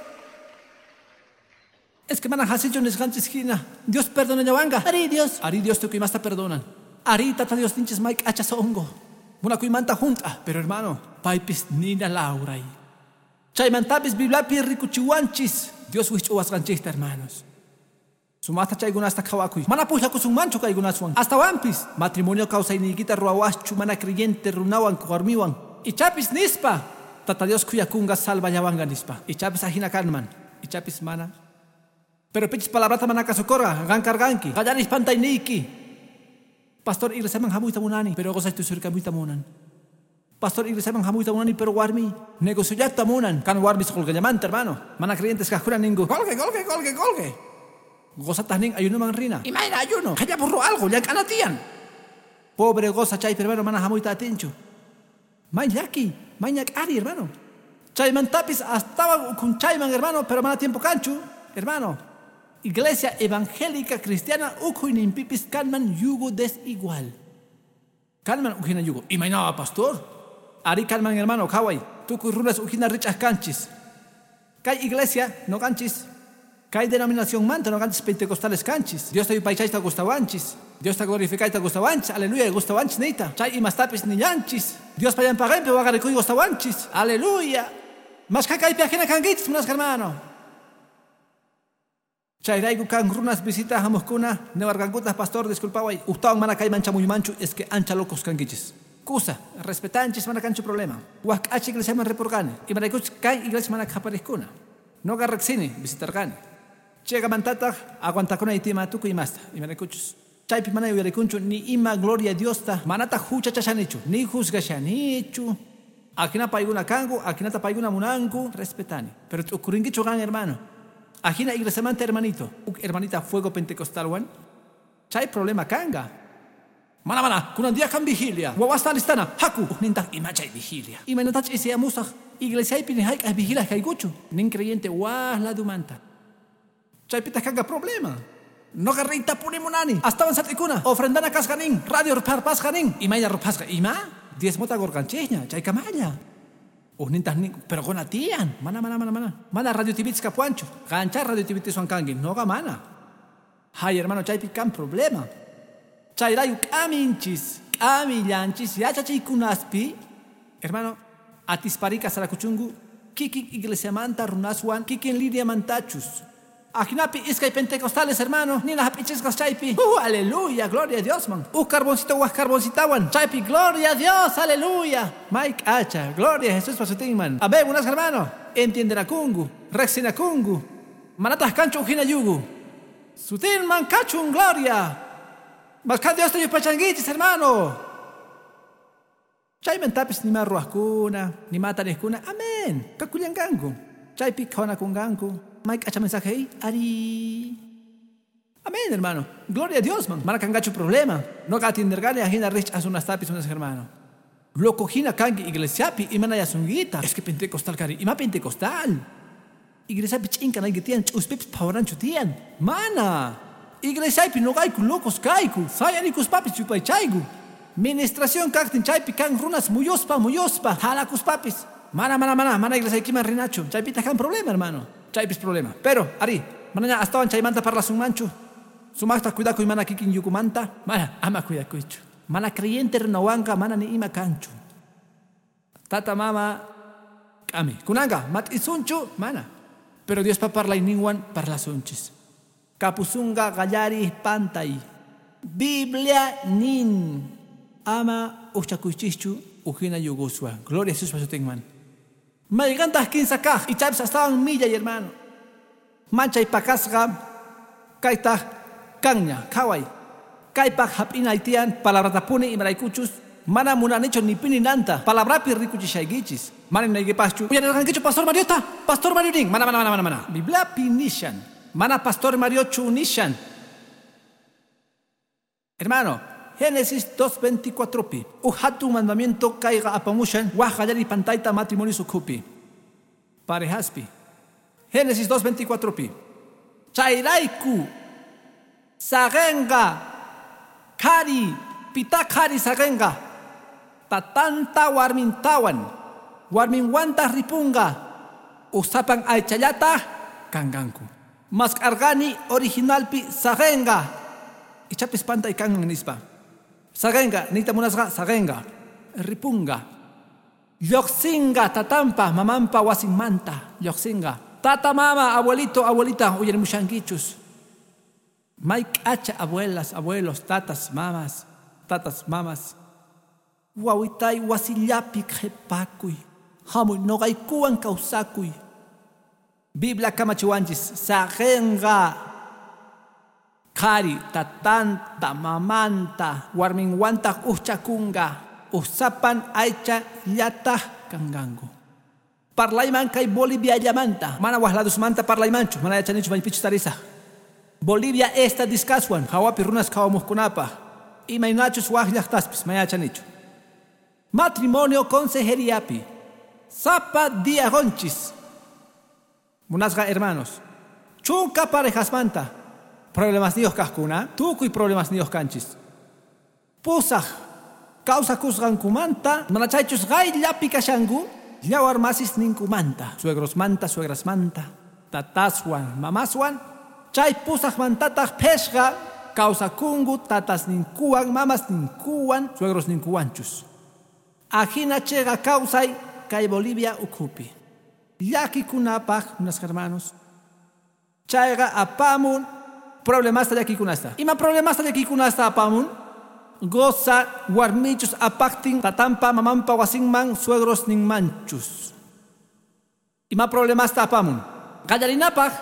Es que mana hasichu nisqanchis hina. Dios perdonallawanqa. Ari Dios. Ari Dios tukuy imasta perdonan. Ari tata Dios ninchis may k'acha sonqo. Munakuymanta junt'a. Pero hermano, paypis nina lawray. Chaymantapis Bibliapi rikuchiwanchis Dios wich'uwasqanchikta, hermanos. Sumaqta chaykunasta qhawakuy. Mana pujllakusunmanchu kaykunaswan. Astawanpis matrimonio kawsayniykita ruwawaschu mana creyente runawan warmiwan. Ichapis nispa Tata Dios khuyakunqa salvallawanqa nispa. Ichapis ajina kanman. Ichapis mana. Pero pichis palabrata mana kasukurqa qan karqanki. Qallaris pantayniyki. Pastor iglesiaman hamuyta munani, pero qusay tusurkamuyta munan. Pastor iglesiaman hamuyta munani, pero warmi negociollata munan. Kan warmis qolqellamanta, hermano. Mana creyentes kaqkuna ninku. Qolqe, qolqe, qolqe, qolqe. Qosataq nin ayunoman rina. Imayna ayuno? Qhallapurru algo, llank'ana tiyan. Pobre qosa chaypi, hermano, mana hamuyta atinchu. May llaki, may ñak'ari, hermano. Chaymantapis astawan ukhunchayman, hermano, pero mana tiempo kanchu, hermano. Iglesia evangélica cristiana ukhuyninpipis kanman yugo desigual. Kanman ujina yugo. Imayna, pastor? Ari kanman, hermano, qhaway. Tukuy runas ujina rich'aq kanchis. Kay iglesia no kanchis. Kay denominación manta no kanchis pentecostales kanchis. Dios ta yupaychayta gustawanchis. Dios ta glorificayta gustawanchis. Aleluya, gustawanchis niyta. Chay imastapis nillanchis. Dios payanpaqanpi waqarikuy gustawanchis. Aleluya. Mashkha kaypi ajina kankichis, munasqa hermano. Chayrayku kan runas visita hamuqkuna niwarqankutaq pastor disculpaway ujtawan mana kayman chamuymanchu es que ancha locos kankichis. Kusa, respetanchis mana kanchu problema. Waj k'acha iglesiaman ripurqani. Imaraykuchus kay iglesia mana qhapariqkuna. Noqa riqsini visitarqani. Chaykamantataq aguantakunay tima tukuy imasta. Imaraykuchus chaypi mana yuyarikunchu ni ima gloria Diosta manataq huchachashanichu ni juzgashanichu. Ajina paykuna kanku, ajinata paykuna munanku, respetani. Pero t'ukurinkichu qan, hermano. Ajina iglesiamanta hermanito, uk hermanita fuego pentecostalwan, chay problema kanga. Mana mana, kunan día kan vigilia. Wawasta alistana, haku, ujnintaq ima chay vigilia. Imaynatach isiamusaq, iglesiaypi ni hayk'aq vigilia kaykuchu. Nin creyente waj ladumanta. Chaypitaq kanga problema. Noqa riytapuni munani. Astawan sat'ikuna, ofrendana kasqa nin, radio rupharpasqa nin. Imayna ruphasqa, ima? Diezmota qurqanchikña, chaykamalla. Ujnintaq nin, pero quna tiyan. Mana, mana, mana, mana. Mana radio TVtis kapuwanchu. Qancha radio TVtiswan kanki, noqa mana. Hay, hermano, chaypi kan problema. Chayrayku k'aminchis, k'amillanchis yachachiykunaspi, hermano, atispari kasarakuchunku kikin iglesiamanta runaswan, kikin lidiamantachus. Ajinapi iskay pentecostales, hermano, nina hap'ichisqas chaypi. Aleluya, gloria a Dios, man. Uj carboncito waj carboncitawan. Chaypi, gloria a Dios, aleluya. Mike hacha, gloria a Jesús pasutinman. Amén, buenas, hermano. Entiendenakungu, riqsinakungu. Manataq kanchu hina yugu. Sutinman kachun gloria. Maska Dios te yupachanguichis, hermano. Chaymantapis nima ruwajkuna, nima tariqkuna. Amén. Kakullankanku. Chaypi qhawanakunqanku. May k'acha mensaje ari. Amén, hermano. Gloria a Dios, man. Mana kanqachu problema. No atindergani ajina rich asunastapis unas hermano. Loco hina kanki iglesiapi imana yasunguita. Es que pentecostal kari. Ima pentecostal. Iglesiapi ch'inka nayki tiyan ch'uspipis phawaranchu tiyan. Mana. Iglesiapi noqayku locos kayku. Sayarikuspapis yupaychayku. Ministración kaqtin chaypi kan runas muyuspa muyuspa halakuspapis. Mana mana mana mana iglesiaykiman rinachu. Chaypitaq kan problema, hermano. Chaypis problema. Pero ari, manaña astawan chaymanta parlasunmanchu. Sumaqta cuidakuy mana kikin yukumanta. Mana ama cuidakuychu. Mana creyente runawanqa mana ni ima kanchu. Tata mama k'ami. Kunanqa mat'isunchu mana. Pero Diospa parlayninwan parlasunchis. Kapusunqa qallariq pantay. Biblia nin. Ama uqchakuychischu ujina yuguswan. Gloria a Jesús pasutinman. Maygantaq kinsa kaq. Ichapis astawan millay, hermano. Manchay pakasqa kaytaq kanña. Qhaway. Kaypaq hap'inay tiyan palabratapuni imaraykuchus. Mana munanichu ni pini nanta. Palabrapi rikuchishaykichis. Mana ninaykipaschu. Uyarirqankichu Pastor Mariota. Pastor Mario nin. Mana mana mana mana mana. Bibliapi nishan. Mana Pastor Mariochu nishan. Hermano, Génesis 2.24 pi. Uj hatun mandamiento kayqa apamushan waj qallariy pantayta matrimonio ukhupi. Parejaspi. Génesis 2.24 pi. Chayrayku saqenqa qhari pita qhari saqenqa tatanta warmintawan warminwantaq ripunqa usapan aychallata kanqanku. Mask'arqani originalpi saqenqa. Ichapis pantay kanman nispa. Saqenqa niyta munasqa saqenqa ripunqa. Lluqsinqa tatanpa mamanpa wasinmanta lluqsinqa. Tata mama abuelito abuelita uyarimushankichus. May k'acha abuelas, abuelos, tatas, mamas, tatas, mamas. Wawitay wasillapi qhipakuy. Hamuy noqaykuwan kawsakuy. Biblia kamachiwanchis saqenqa qhari tatanta mamanta warminwantaq uqchakunqa usapan aycha llataq kanqanku. Parlayman kay Boliviallamanta. Mana waj ladusmanta parlaymanchu, mana yachanichu maypichus tarisaq. Bolivia esta diskaswan hawapi runas qhawamuqkunapaq. Imaynachus waj llaqtaspis mana yachanichu. Matrimonio consejeriapi. Sapa día gonchis. Munasqa hermanos. Chunka parejasmanta. Problemas niyuq kaqkuna, tukuy problemas niyuq kanchis. Pusaq kawsakusqankumanta, mana chaychus qayllapi kashanku, yawar masis ninkumanta, suegrosmanta, suegrasmanta, tataswan, mamaswan, chay pusaqmantataq phishqa kawsakunku tatasninkuwan, mamasninkuwan, suegrosninkuwanchus. Ajina chayqa kawsay kay Bolivia ukhupi. Llakikunapaq, munasqa hermanos. Chayqa apamun problemasta llakikunasta. Ima problemasta llakikunasta apamun? Goza warmichus apaqtin tatanpa mamanpa wasinman suegros ninmanchus. Ima problemasta apamun? Qallarinapaq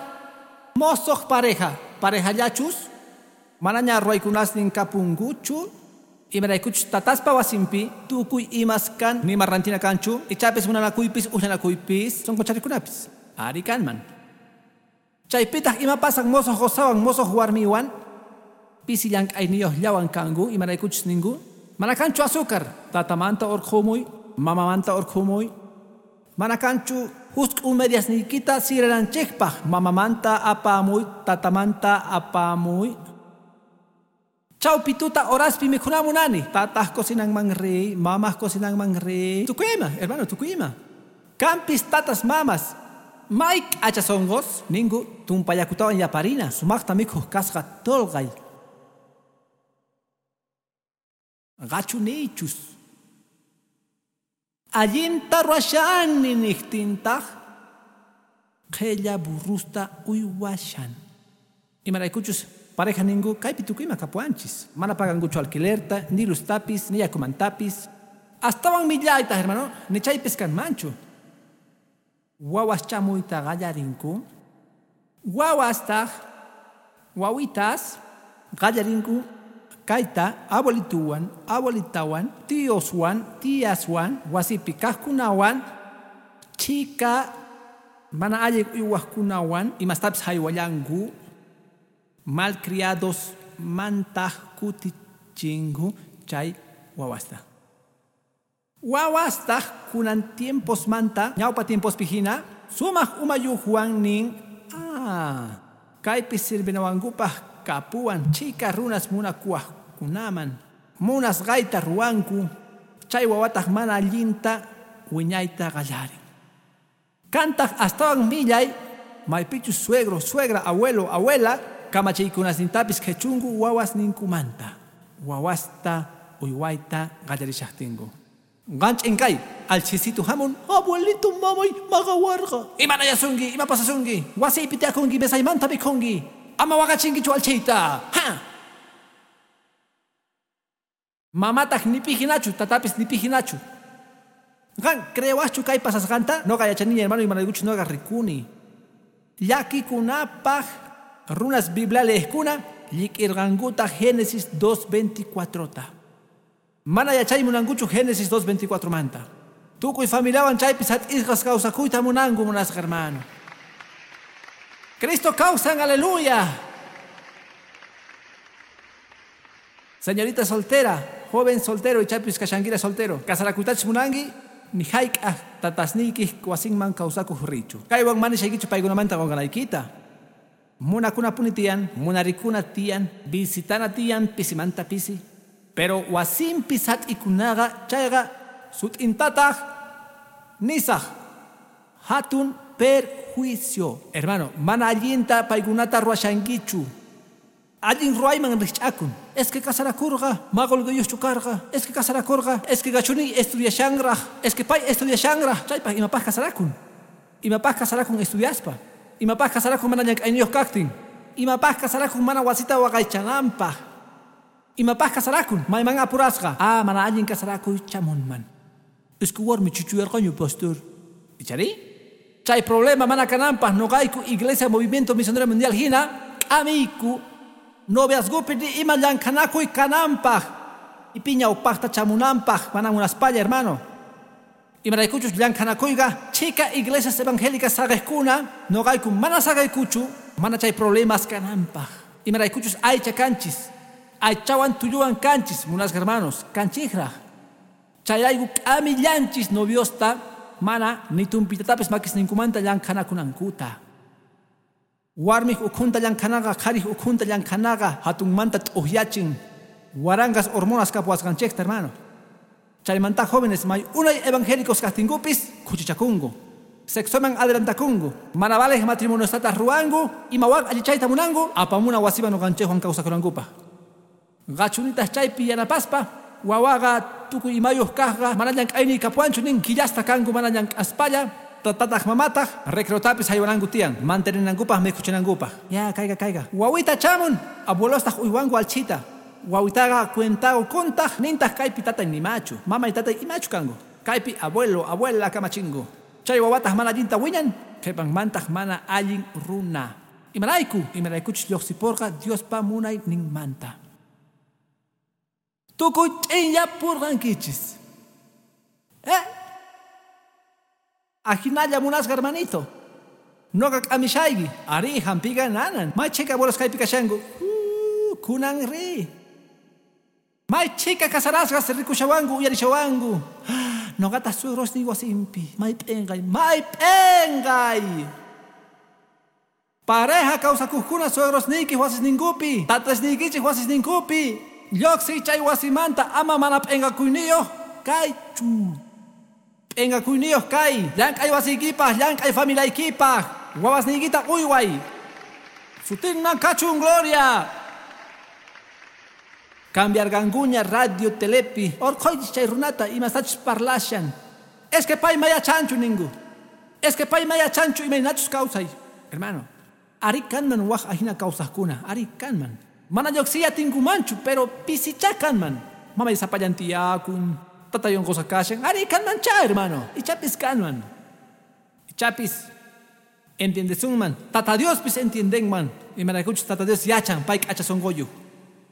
mosoq pareja, parejallachus manaña ruwaykunasnin kapunkuchu. Imaraykuchus tataspa wasinpi tukuy imas kan nima rantina kanchu ichapis munanakuypis uqllanakuypis sonqocharikunapis ari kanman. Chaypitaq ima pasan mosoq qosawan mosoq warmiwan pisi llank'ayniyuqllawan kanku imaraykuchus ninku mana kanchu azúcar tatamanta urqhumuy mamamanta urqhumuy mana kanchu husk'u mediasniykita sirananchikpaq mamamanta apamuy tatamanta apamuy. Chawpi tuta horaspi mikhuna munani. Tataq cocinanman riy, mamaq cocinanman riy. Tukuy ima, hermano, tukuy ima. Kampis tatas mamas. May k'acha sonqos ninku tumpayakutawan yaparina sumaqta mikhuq kasqa tolqay. Qachu niychus. Allinta ruwashani niqtintaq qhilla burrusta uywashan. Imaraykuchus pareja ninku kaypi tukuy ima kapuwanchis. Mana pagankuchu alquilerta, ni luztapis, ni yakumantapis. Astawan millaytaq, hermano, ni chaypis kanmanchu. Wawas chamuyta qallarinku. Wawastaq wawitas qallarinku kayta abuelituwan, abuelitawan, tioswan, tiaswan, wasipi kaqkunawan, chika mana allin uywaqkunawan imastapis haywallanku, malcriados mantaq kutichinku chay wawasta. Wawastaq kunan tiempos manta, ñawpa tiempospi hina, sumaq umayuqwan nin, kaypi sirvinawankupaq kapuwan chika runas munakuwaqkunaman, munasqayta ruwanku, chay wawataq mana allinta wiñayta qallarin. Kantaq astawan millay, maypichus suegro, suegra, abuelo, abuela, kamachiykunasnintapis qhichunku wawasninkumanta. Wawasta uywayta qallarishaqtinku. Qanch'inkay, alchisitu hamun, abuelito mamay maqawarqa. Imanayasunki, ima pasasunki, wasiypi tiyakunki, mesaymanta mikhunki, ama waqachinkichu alchiyta. Ha! Mamataq ni pi hinachu, tatapis ni pi hinachu. Qan creewaqchu kay pasasqanta? Noqa yachaniña hermano imaraykuchus noqa rikuni. Llakikunapaq runas Biblia leejkuna llik'irqankuta Génesis 2.24ta. Mana yachay munankuchu Génesis 2.24 manta. Tukuy familiawan chaypi sat'isqas kawsakuyta munanku munasqa hermano. Cristo kawsan, aleluya. Señorita soltera, joven soltero ichapis kashankira soltero. Kasarakuytachus munanki, ni hayk'aq tatasniykiq wasinman kawsakuq richu. Kaywan mana nishaykichu paykunamanta qunqanaykita. Munakunapuni tiyan, munarikuna tiyan, visitana tiyan pisimanta pisi. Pero wasinpi sat'ikunaqa chayqa sut'intataq nisaq hatun perjuicio. Hermano, mana allinta paykunata ruwashankichu. Allin ruwayman rikch'akun. Es que kasarakurqa, maqolqayuqchu karqa. Es que kasarakurqa, es que gachuni estudiashanraq. Es que pay estudiashanraq. Chaypaq imapaq kasarakun. Imapaq kasarakun estudiaspa. Imapaq kasarakun mana llank'ayniyuq kaqtin. Imapaq kasarakun mana wasita waqaychananpaq. Imapaq kasarakun mayman apurasqa. Ah, mana allin kasarakuy chamunman. Es que warmi chuchuyarqañu, pastor. Ichari? Chay problema mana kananpaq noqayku Iglesia Movimiento Misionero Mundial hina k'amiyku noviazgopi ni ima llank'anakuy kananpaq ipiña upaqta chamunanpaq mana munaspalla hermano. Imaraykuchus llank'anakuyqa chika iglesias evangélicas saqejkuna noqayku mana saqeykuchu mana chay problemas kananpaq. Imaraykuchus aycha kanchis, aychawan tulluwan kanchis munasqa hermanos, kanchijraq. Chayrayku k'amillanchis noviosta mana ni tumpitatapis makisninkumanta llank'anakunankuta. Warmiq ukhunta llank'anaqa, qhariq ukhunta llank'anaqa hatunmanta t'uqyachin waranqas hormonas kapuwasqanchikta hermano. Chaymanta jóvenes may unay evangélicos kaqtinkupis khuchichakunku, sexoman adelantakunku, mana valeq matrimoniostataq ruwanku, imawan allichayta munanku, apamuna wasiman nuqanchikwan kawsakunankupaq. Qachunitaq chaypi yanapaspa, wawaqa tukuy imayuq kaqqa mana llank'ayniy kapuwanchu nin killasta kanku mana llank'aspalla, tatataq mamataq recreotapis haywananku tiyan, manteninankupaq mikhuchinankupaq. Ya, kayqa kayqa. Wawita chamun, abuelostaq uywanku alchita. Wawitaqa cuentago kuntaq nintaq kaypi tatay nimachu, mamay tatay imachu kanku. Kaypi abuelo, abuela kamachingu. Chay wawataq mana allinta wiñan, qhipanmantaq mana allin runa. Imarayku, imaraykuchus lluqsiporqa Diospa munayninmanta. Tukuy ch'inyapurqankichis. Ajinalla munasqa hermanito. Noqa k'amishayki. Ari hampiqa nanan. May chhika abuelos kaypi kashanku. Kunan ri. May chhika kasarasqas rikushawanku uyarishawanku. Noqataq suegrosniy wasinpi. May p'inqay, may p'inqay. Pareja kawsakuqkuna suegrosniykiq wasisninkupi, tatasniykichik wasisninkupi. Lluqsiy chay wasimanta ama mana p'inqakuyniyuq kaychu. P'inqakuyniyuq kay. Llank'ay wasiykipaq, llank'ay familiaykipaq. Wawasniykita uyway. Sutinman kachun gloria. Cambiarqankuña radio telepi. Orqhuychis chay runata imastachus parlashan. Es que pay mayachanchu ninku. Es que pay mayachanchu imaynachus kawsay. Hermano, ari kanman waj ajina kawsaqkuna, ari kanman. Mana lluqsiya tinkumanchu, pero pisichá kanman. Mamay sapallan tiyakun, tatay unqusqa kashan, ari kanmanchá, hermano. Ichapis kanman. Ichapis. Entiendesunman, Tata Diospis entiendenman. Imaraykuchus Tata Dios yachan pay k'acha sunquyuq.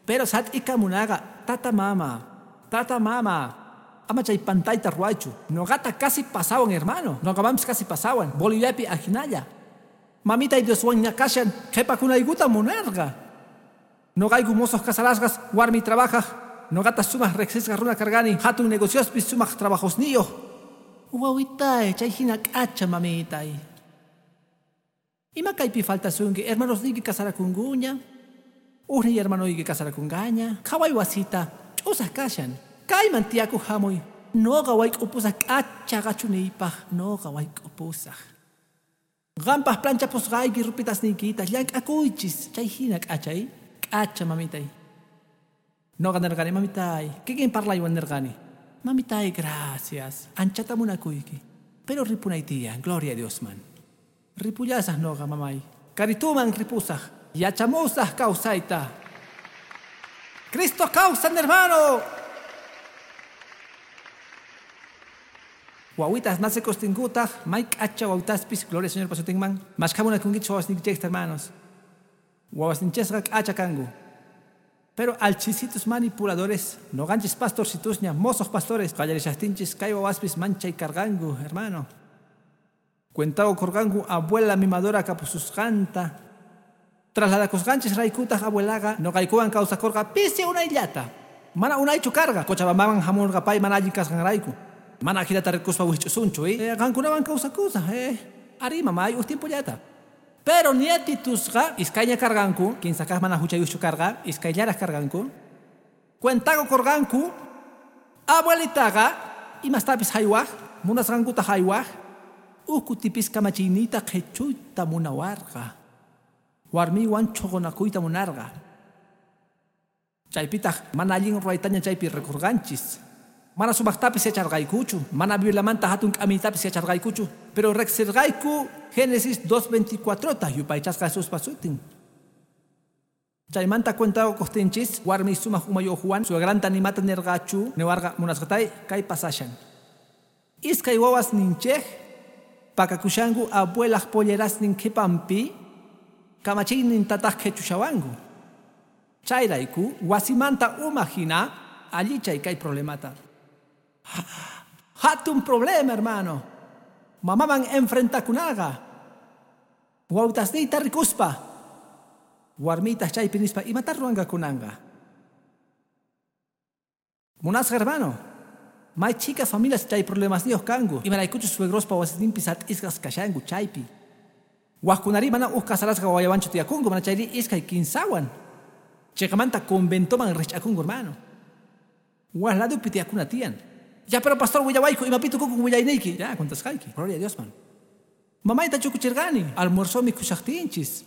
Pero sat'ikamunaqa tata mama, ama chay pantayta ruwaychu. Noqata casi pasawan, hermano. Noqamanpis casi pasawan. Boliviapi ajinalla. Mamitay Dioswan ñakashan qhipakunaykuta munarqa. Noqayku mozos casarasqas warmi trabajaq. Noqata sumaq riqsisqa runa karqani. Hatun negociospis sumaq trabajosniyuq. Wawitay, chay hina k'acha mamitay. Ima kaypi faltasunki, hermanosniyki casarakunkuña. Ujniy hermanoyki casarakunqaña. Qhaway wasita, ch'usaq kashan. Kayman tiyakuq hamuy. Noqa wayk'upusaq k'acha qachuniypaq. Noqa wayk'upusaq. Qanpaq planchapusqayki rupitasniykita llank'akuychis. Chay hina k'achay, k'acha mamitay. Noqa nirqani, mamitay, kikin parlaywan nirqani. Mamitay, gracias. Anchata munakuyki. Pero ripunay tiyan, gloria a Diosman. Ripullasaq noqa, mamay. Karituman ripusaq. Yachamusaq kawsayta. Cristo kawsan, hermano. Wawitas nacekostinkutaj, may k'acha wawitaspis, gloria al Señor pasutinman. Mashkamunakunkichis wawasninkichejta, hermanos. Wawasninchejqa k'acha kanku. Pero alchisitos manipuladores, noqanchis pastorcitusña, mozos pastores, qallarishastinchis kay wawaspis manchay karqanku, hermano. Cuentago korqanku abuela mimadora kapususqanta. Trasladakusqanchis raykutaq abuelaqa noqaykuwan kawsakorqa pisi unayllata. Mana unaychu karqa, Cochabambaman hamurqa pay mana allin kasqanrayku. Mana ajinata rikuspa wich'usunchu, qankunawan kawsakusaq, Ari mamay uj tiempollata. Pero nietitusqa iskayña karqanku, kinsa kaq mana huchayuqchu karqa, iskayllaraq karqanku. Cuentago korqanku abuelitaqa imastapis haywaq, munasqankuta haywaq, uj kutipis kamachiyniyta qhichuyta munawarqa. Warmiwan chhuqunakuyta munarqa. Chaypitaq mana allin ruwaytaña chaypi rikurqanchis. Mana sumaqtapis yacharqaykuchu, mana Bibliamanta hatun k'amiytapis yacharqaykuchu, pero riqsirqayku Génesis 2:24ta yupaychasqa Jesuspa sutin. Chaymanta cuentago kuqtinchis warmi sumaq umayuqwan suegranta nimata nirqachu niwarqa munasqatay kay pasashan. Iskay wawas ninchej pakakushanku abuelaq pollerasnin qhipanpi kamachiynin tataq qhichushawanku. Chayrayku wasimanta uma hina allichay kay problemata. Hatun problema, hermano. Mamaman enfrentakunaqa. Wawtasniyta rikuspa. Warmitaq chaypi nispa imata ruwanqakunanqa. Munasqa, hermano. May chika familias chay problemasniyuq kanku. Imaraykuchus suegrospa wasisninpi sat'isqas kashanku chaypi. Wajkunari mana uj casarasqa wawayawanchu tiyakunku, mana chayri iskay kinsawan. Chiqamanta conventoman rich'akunku, hermano. Waj ladupi tiyakuna tiyan. Ya, pero pastor willawayku, imapi tukukun willayniyki. Ya, kuntasqayki. Gloria a Dios, man. Mamayta chukuchirqani. Almuerzo mikhushaqtinchis.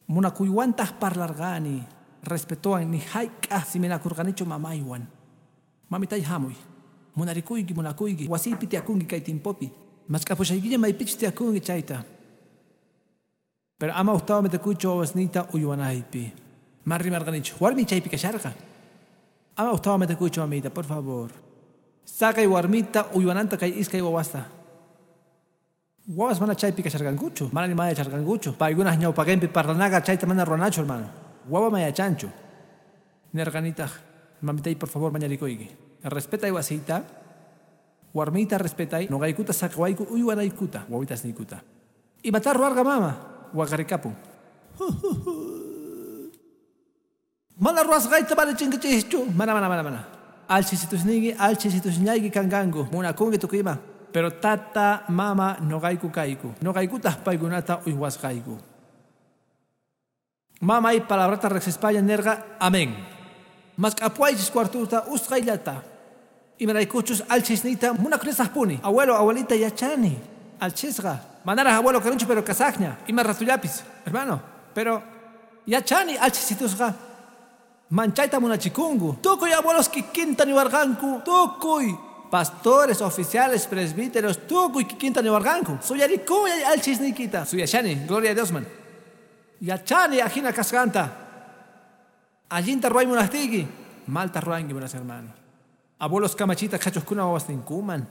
Munakuywantaq parlarqani. Respetowan ni hayk'aq siminakurqanichu mamaywan. Mamitay hamuy. Munarikuyki, munakuyki. Wasiypi tiyakunki kay timpopi. Mask'apushaykiña maypichus tiyakunki chayta. Pero ama ujtawa metakuychu wawasniyta uywanaypi. Man rimarqanichu. Warmi chaypi kasharqa. Ama ujtawa metakuychu mamita, por favor. Saqay warmita uywananta kay iskay wawasta. Wawas mana chaypi kasharqankuchu, mana ni yacharqankuchu. Paykunaq ñawpaqinpi parlanaqa chayta mana ruwanachu, hermano. Wawa mayachanchu. Nirqanitaq, mamitay, por favor, mañarikuyki. Respetay wasiyta, warmita respetay, noqaykuta saqawayku uywanaykuta, wawitasniykuta. Imata ruwarqa mama, waqarikapun. Mana ruwasqayta mana chinkachischu. Mana, mana, mana, mana. Alchisitusniyki, alchisitusñayki kanqanku. Munakunki tukuyma. Pero tata, mama, noqayku kayku. Noqaykutaq paykunata uywasqayku. Mamay palabrata riqsispalla nirqa, amén. Mask'apuwaychis cuartuta usqhayllata. Imaraykuchus alchisniyta munakunisaqpuni. Abuelo, abuelita yachani. Alchisqa. Manaraq abuelo karunchu pero kasaqña. Ima ratullapis, hermano. Pero yachani alchisitusqa. Manchayta munachikunku. Tukuy abuelos kikinta niwarqanku. Tukuy. Pastores, oficiales, presbíteros, tukuy kikinta niwarqanku. Suyarikuyay alchisniykita. Suyashani, gloria a Dios, man. Yachani ajina kasqanta. Allinta ruway munaqtiyki, malta ruwanki, buenas hermano. Abuelos kamachita qhachuqkuna wawasninkuman.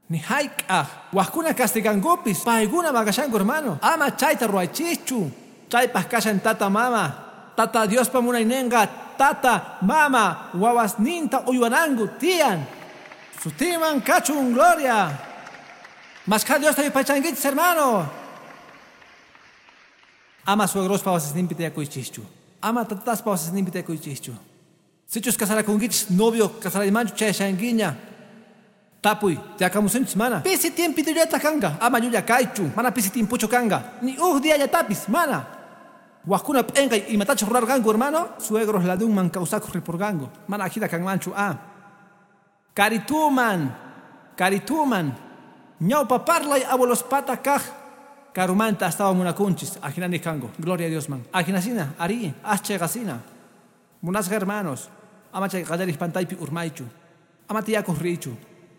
Ni hayk'aq wajkuna castigankupis paykuna maqashanku hermano. Ama chayta ruwaychischu. Chaypaq kashan tata mama. Tata Diospa munayninqa tata mama wawasninta uywananku tiyan. Sutiman kachun gloria. Mashkha Diosta yupaychankichis hermano. Ama suegrospa wasisninpi tiyakuychischu. Ama tataspa wasisninpi tiyakuychischu. Sichus kasarakunkichis novio kasaraymanchu chayashankiña. Tapuy, tiyakamusunchis mana. Pisi tiempitullata kanqa, ama llulla kaychu, mana pisi tiempuchu kanqa. Ni uj diallatapis, mana. Wajkuna p'enqay imatachus rurarqanku hermano, suegros ladunman kawsakuq ripurqanku. Mana ajina kanmanchu a. Karituman, karituman. Ñawpa parlay abuelospata kaq. Karumanta astawan munakunchis, ajina niqkanku. Gloria a Dios man. Ajinasina, ari, aschayqasina. Munasqa hermanos, ama chay qallariq pantaypi urmaychu. Ama tiyakuq riychu.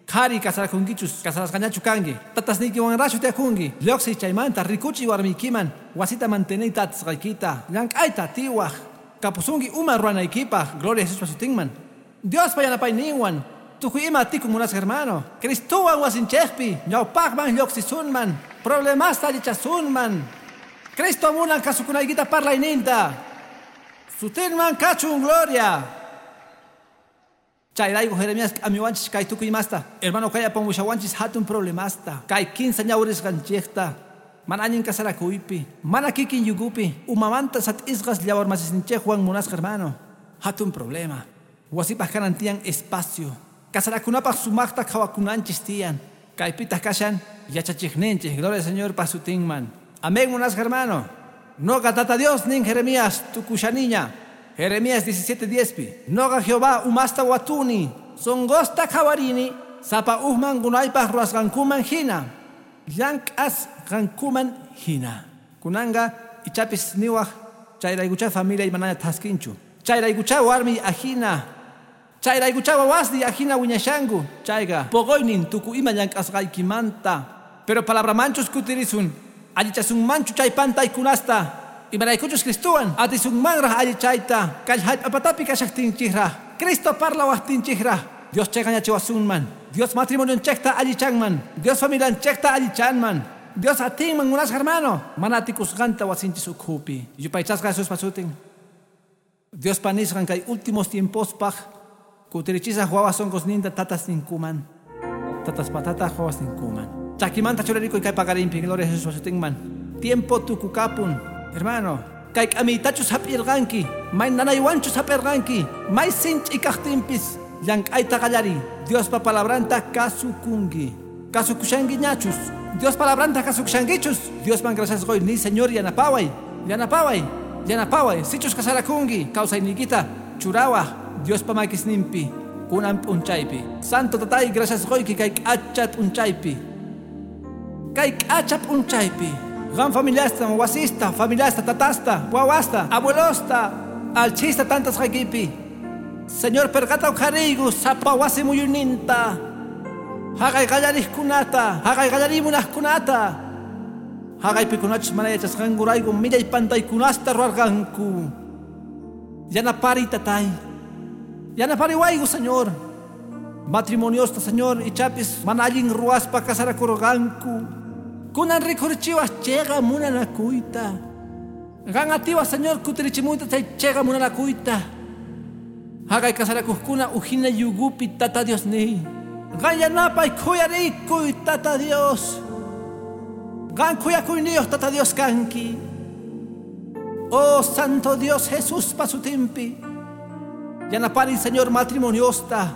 Qhari kasarakunkichus, kasarasqañachu kanki. Tatasniykiwanrachu tiyakunki. Lluqsiy chaymanta rikuchiy warmiykiman. Wasita manteneyta atisqaykita. Llank'ayta tiwaq. Kapusunki uma ruwanaykipaq. Gloria a Jesuspa sutinman. Diospa yanapayninwan. Tukuy ima atikun munasqa hermano. Cristowan wasinchikpi. Ñawpaqman lluqsisunman. Problemasta allichasunman. Cristo munan kasukunaykita parlayninta. Sutinman kachun gloria. Chayrayku Jeremías k'amiwanchis kay tukuy imasta. Hermano kay apamushawanchis hatun problemasta. Kay kinsa ñawrisqanchikta. Mana allin kasarakuypi. Mana kikin yugupi. Umamanta sat'isqas llawarmasisninchikwan munasqa hermano. Hatun problema. Wasipaq kanan tiyan espacio. Kasarakunapaq sumaqta qhawakunanchis tiyan. Kaypitaq kashan yachachiqninchik. Gloria al Señor pa sutinman. Amén munasqa hermano. Noqa tata Dios nin Jeremías tukushaniña. Jeremías 17:10pi. Noqa Jehová umasta watuni, songosta qhawarini, sapa ujman gunaypaq ruwasqankuman hina, llank'asqankuman hina. Kunanqa ichapis niwaq chayraykucha familia manaña thaskinchu. Chayraykucha warmi ajina. Chayraykucha wawasniy ajina wiñashanku. Chayqa poqoynin tukuy ima llank'asqaykimanta. Pero palabramanchus kutirisun, allichasunmanchu chay pantaykunasta. Imaraykuchus Cristowan atisunmanraq allichayta. Kay hallp'apatapi kashaqtinchikraq. Cristo parlawaqtinchikraq. Dios chayqañachiwasunman. Dios matrimonionchikta allichanman. Dios familianchikta allichanman. Dios atinman munasqa hermano. Mana atikusqanta wasinchis ukhupi. Yupaychasqa Jesuspa sutin. Diospa nisqan kay últimos tiempospaq kutirichisaq wawas sunqusninta tatasninkuman. Tataspatata wawasninkuman. Chakimanta churarikuy kay paqarinpi. Gloria a Jesuspa sutinman. Tiempo tukukapun. Hermano, kay k'amiytachus hap'irqanki, may nanaywanchus hap'irqanki, may sinch'i kaqtinpis llank'ayta qallariy. Diospa palabranta kasukunki. Kasukushankiñachus. Dios palabranta kasukushankichus. Diosman gracias qoy ni Señor yanapaway. Yanapaway. Yanapaway. Sichus kasarakunki, kawsayniykita churawaq Diospa makisninpi kunan p'unchaypi. Santo tatay gracias qoyki kay k'acha p'unchaypi. Kay k'acha p'unchaypi. Qam familiasta, wasista, familiasta, tatasta, wawasta, abuelosta, alchista tantasqaykipi. Señor perqata uqhariyku sapa wasi muyuyninta. Haqay qallariqkunata, haqay qallarimunaqkunata. Haqaypikunachus mana yachasqankurayku millay pantaykunasta ruwarqanku. Yanapariy tatay. Yanapariwayku Señor. Matrimoniosta Señor ichapis mana allin ruwaspa kasarakurqanku. Kunan rikhurichiwas chayqa munanakuyta. Qan atiwas Señor kutirichimuyta chay chayqa munanakuyta. Haqay kasarakuqkuna ujina yugupi tata Dios niy. Qan yanapay khuyarikuy tata Dios. Qan khuyakuyniyuq tata Dios kanki. Oh Santo Dios Jesuspa sutinpi. Yanapariy Señor matrimoniosta.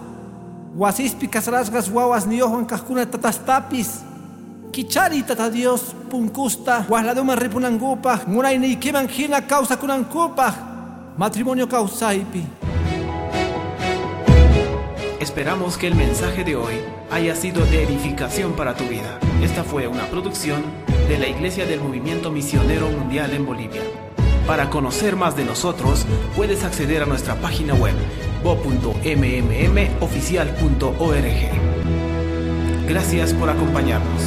Wasispi kasarasqas wawasniyuqwan kaqkuna tatastapis. Kichari tata Dios punkusta wasladuman ripunankupaq munayniykiman hina kawsakunankupaq matrimonio kawsaypi. Esperamos que el mensaje de hoy haya sido de edificación para tu vida. Esta fue una producción de la Iglesia del Movimiento Misionero Mundial en Bolivia. Para conocer más de nosotros, puedes acceder a nuestra página web bo.mmmoficial.org. Gracias por acompañarnos.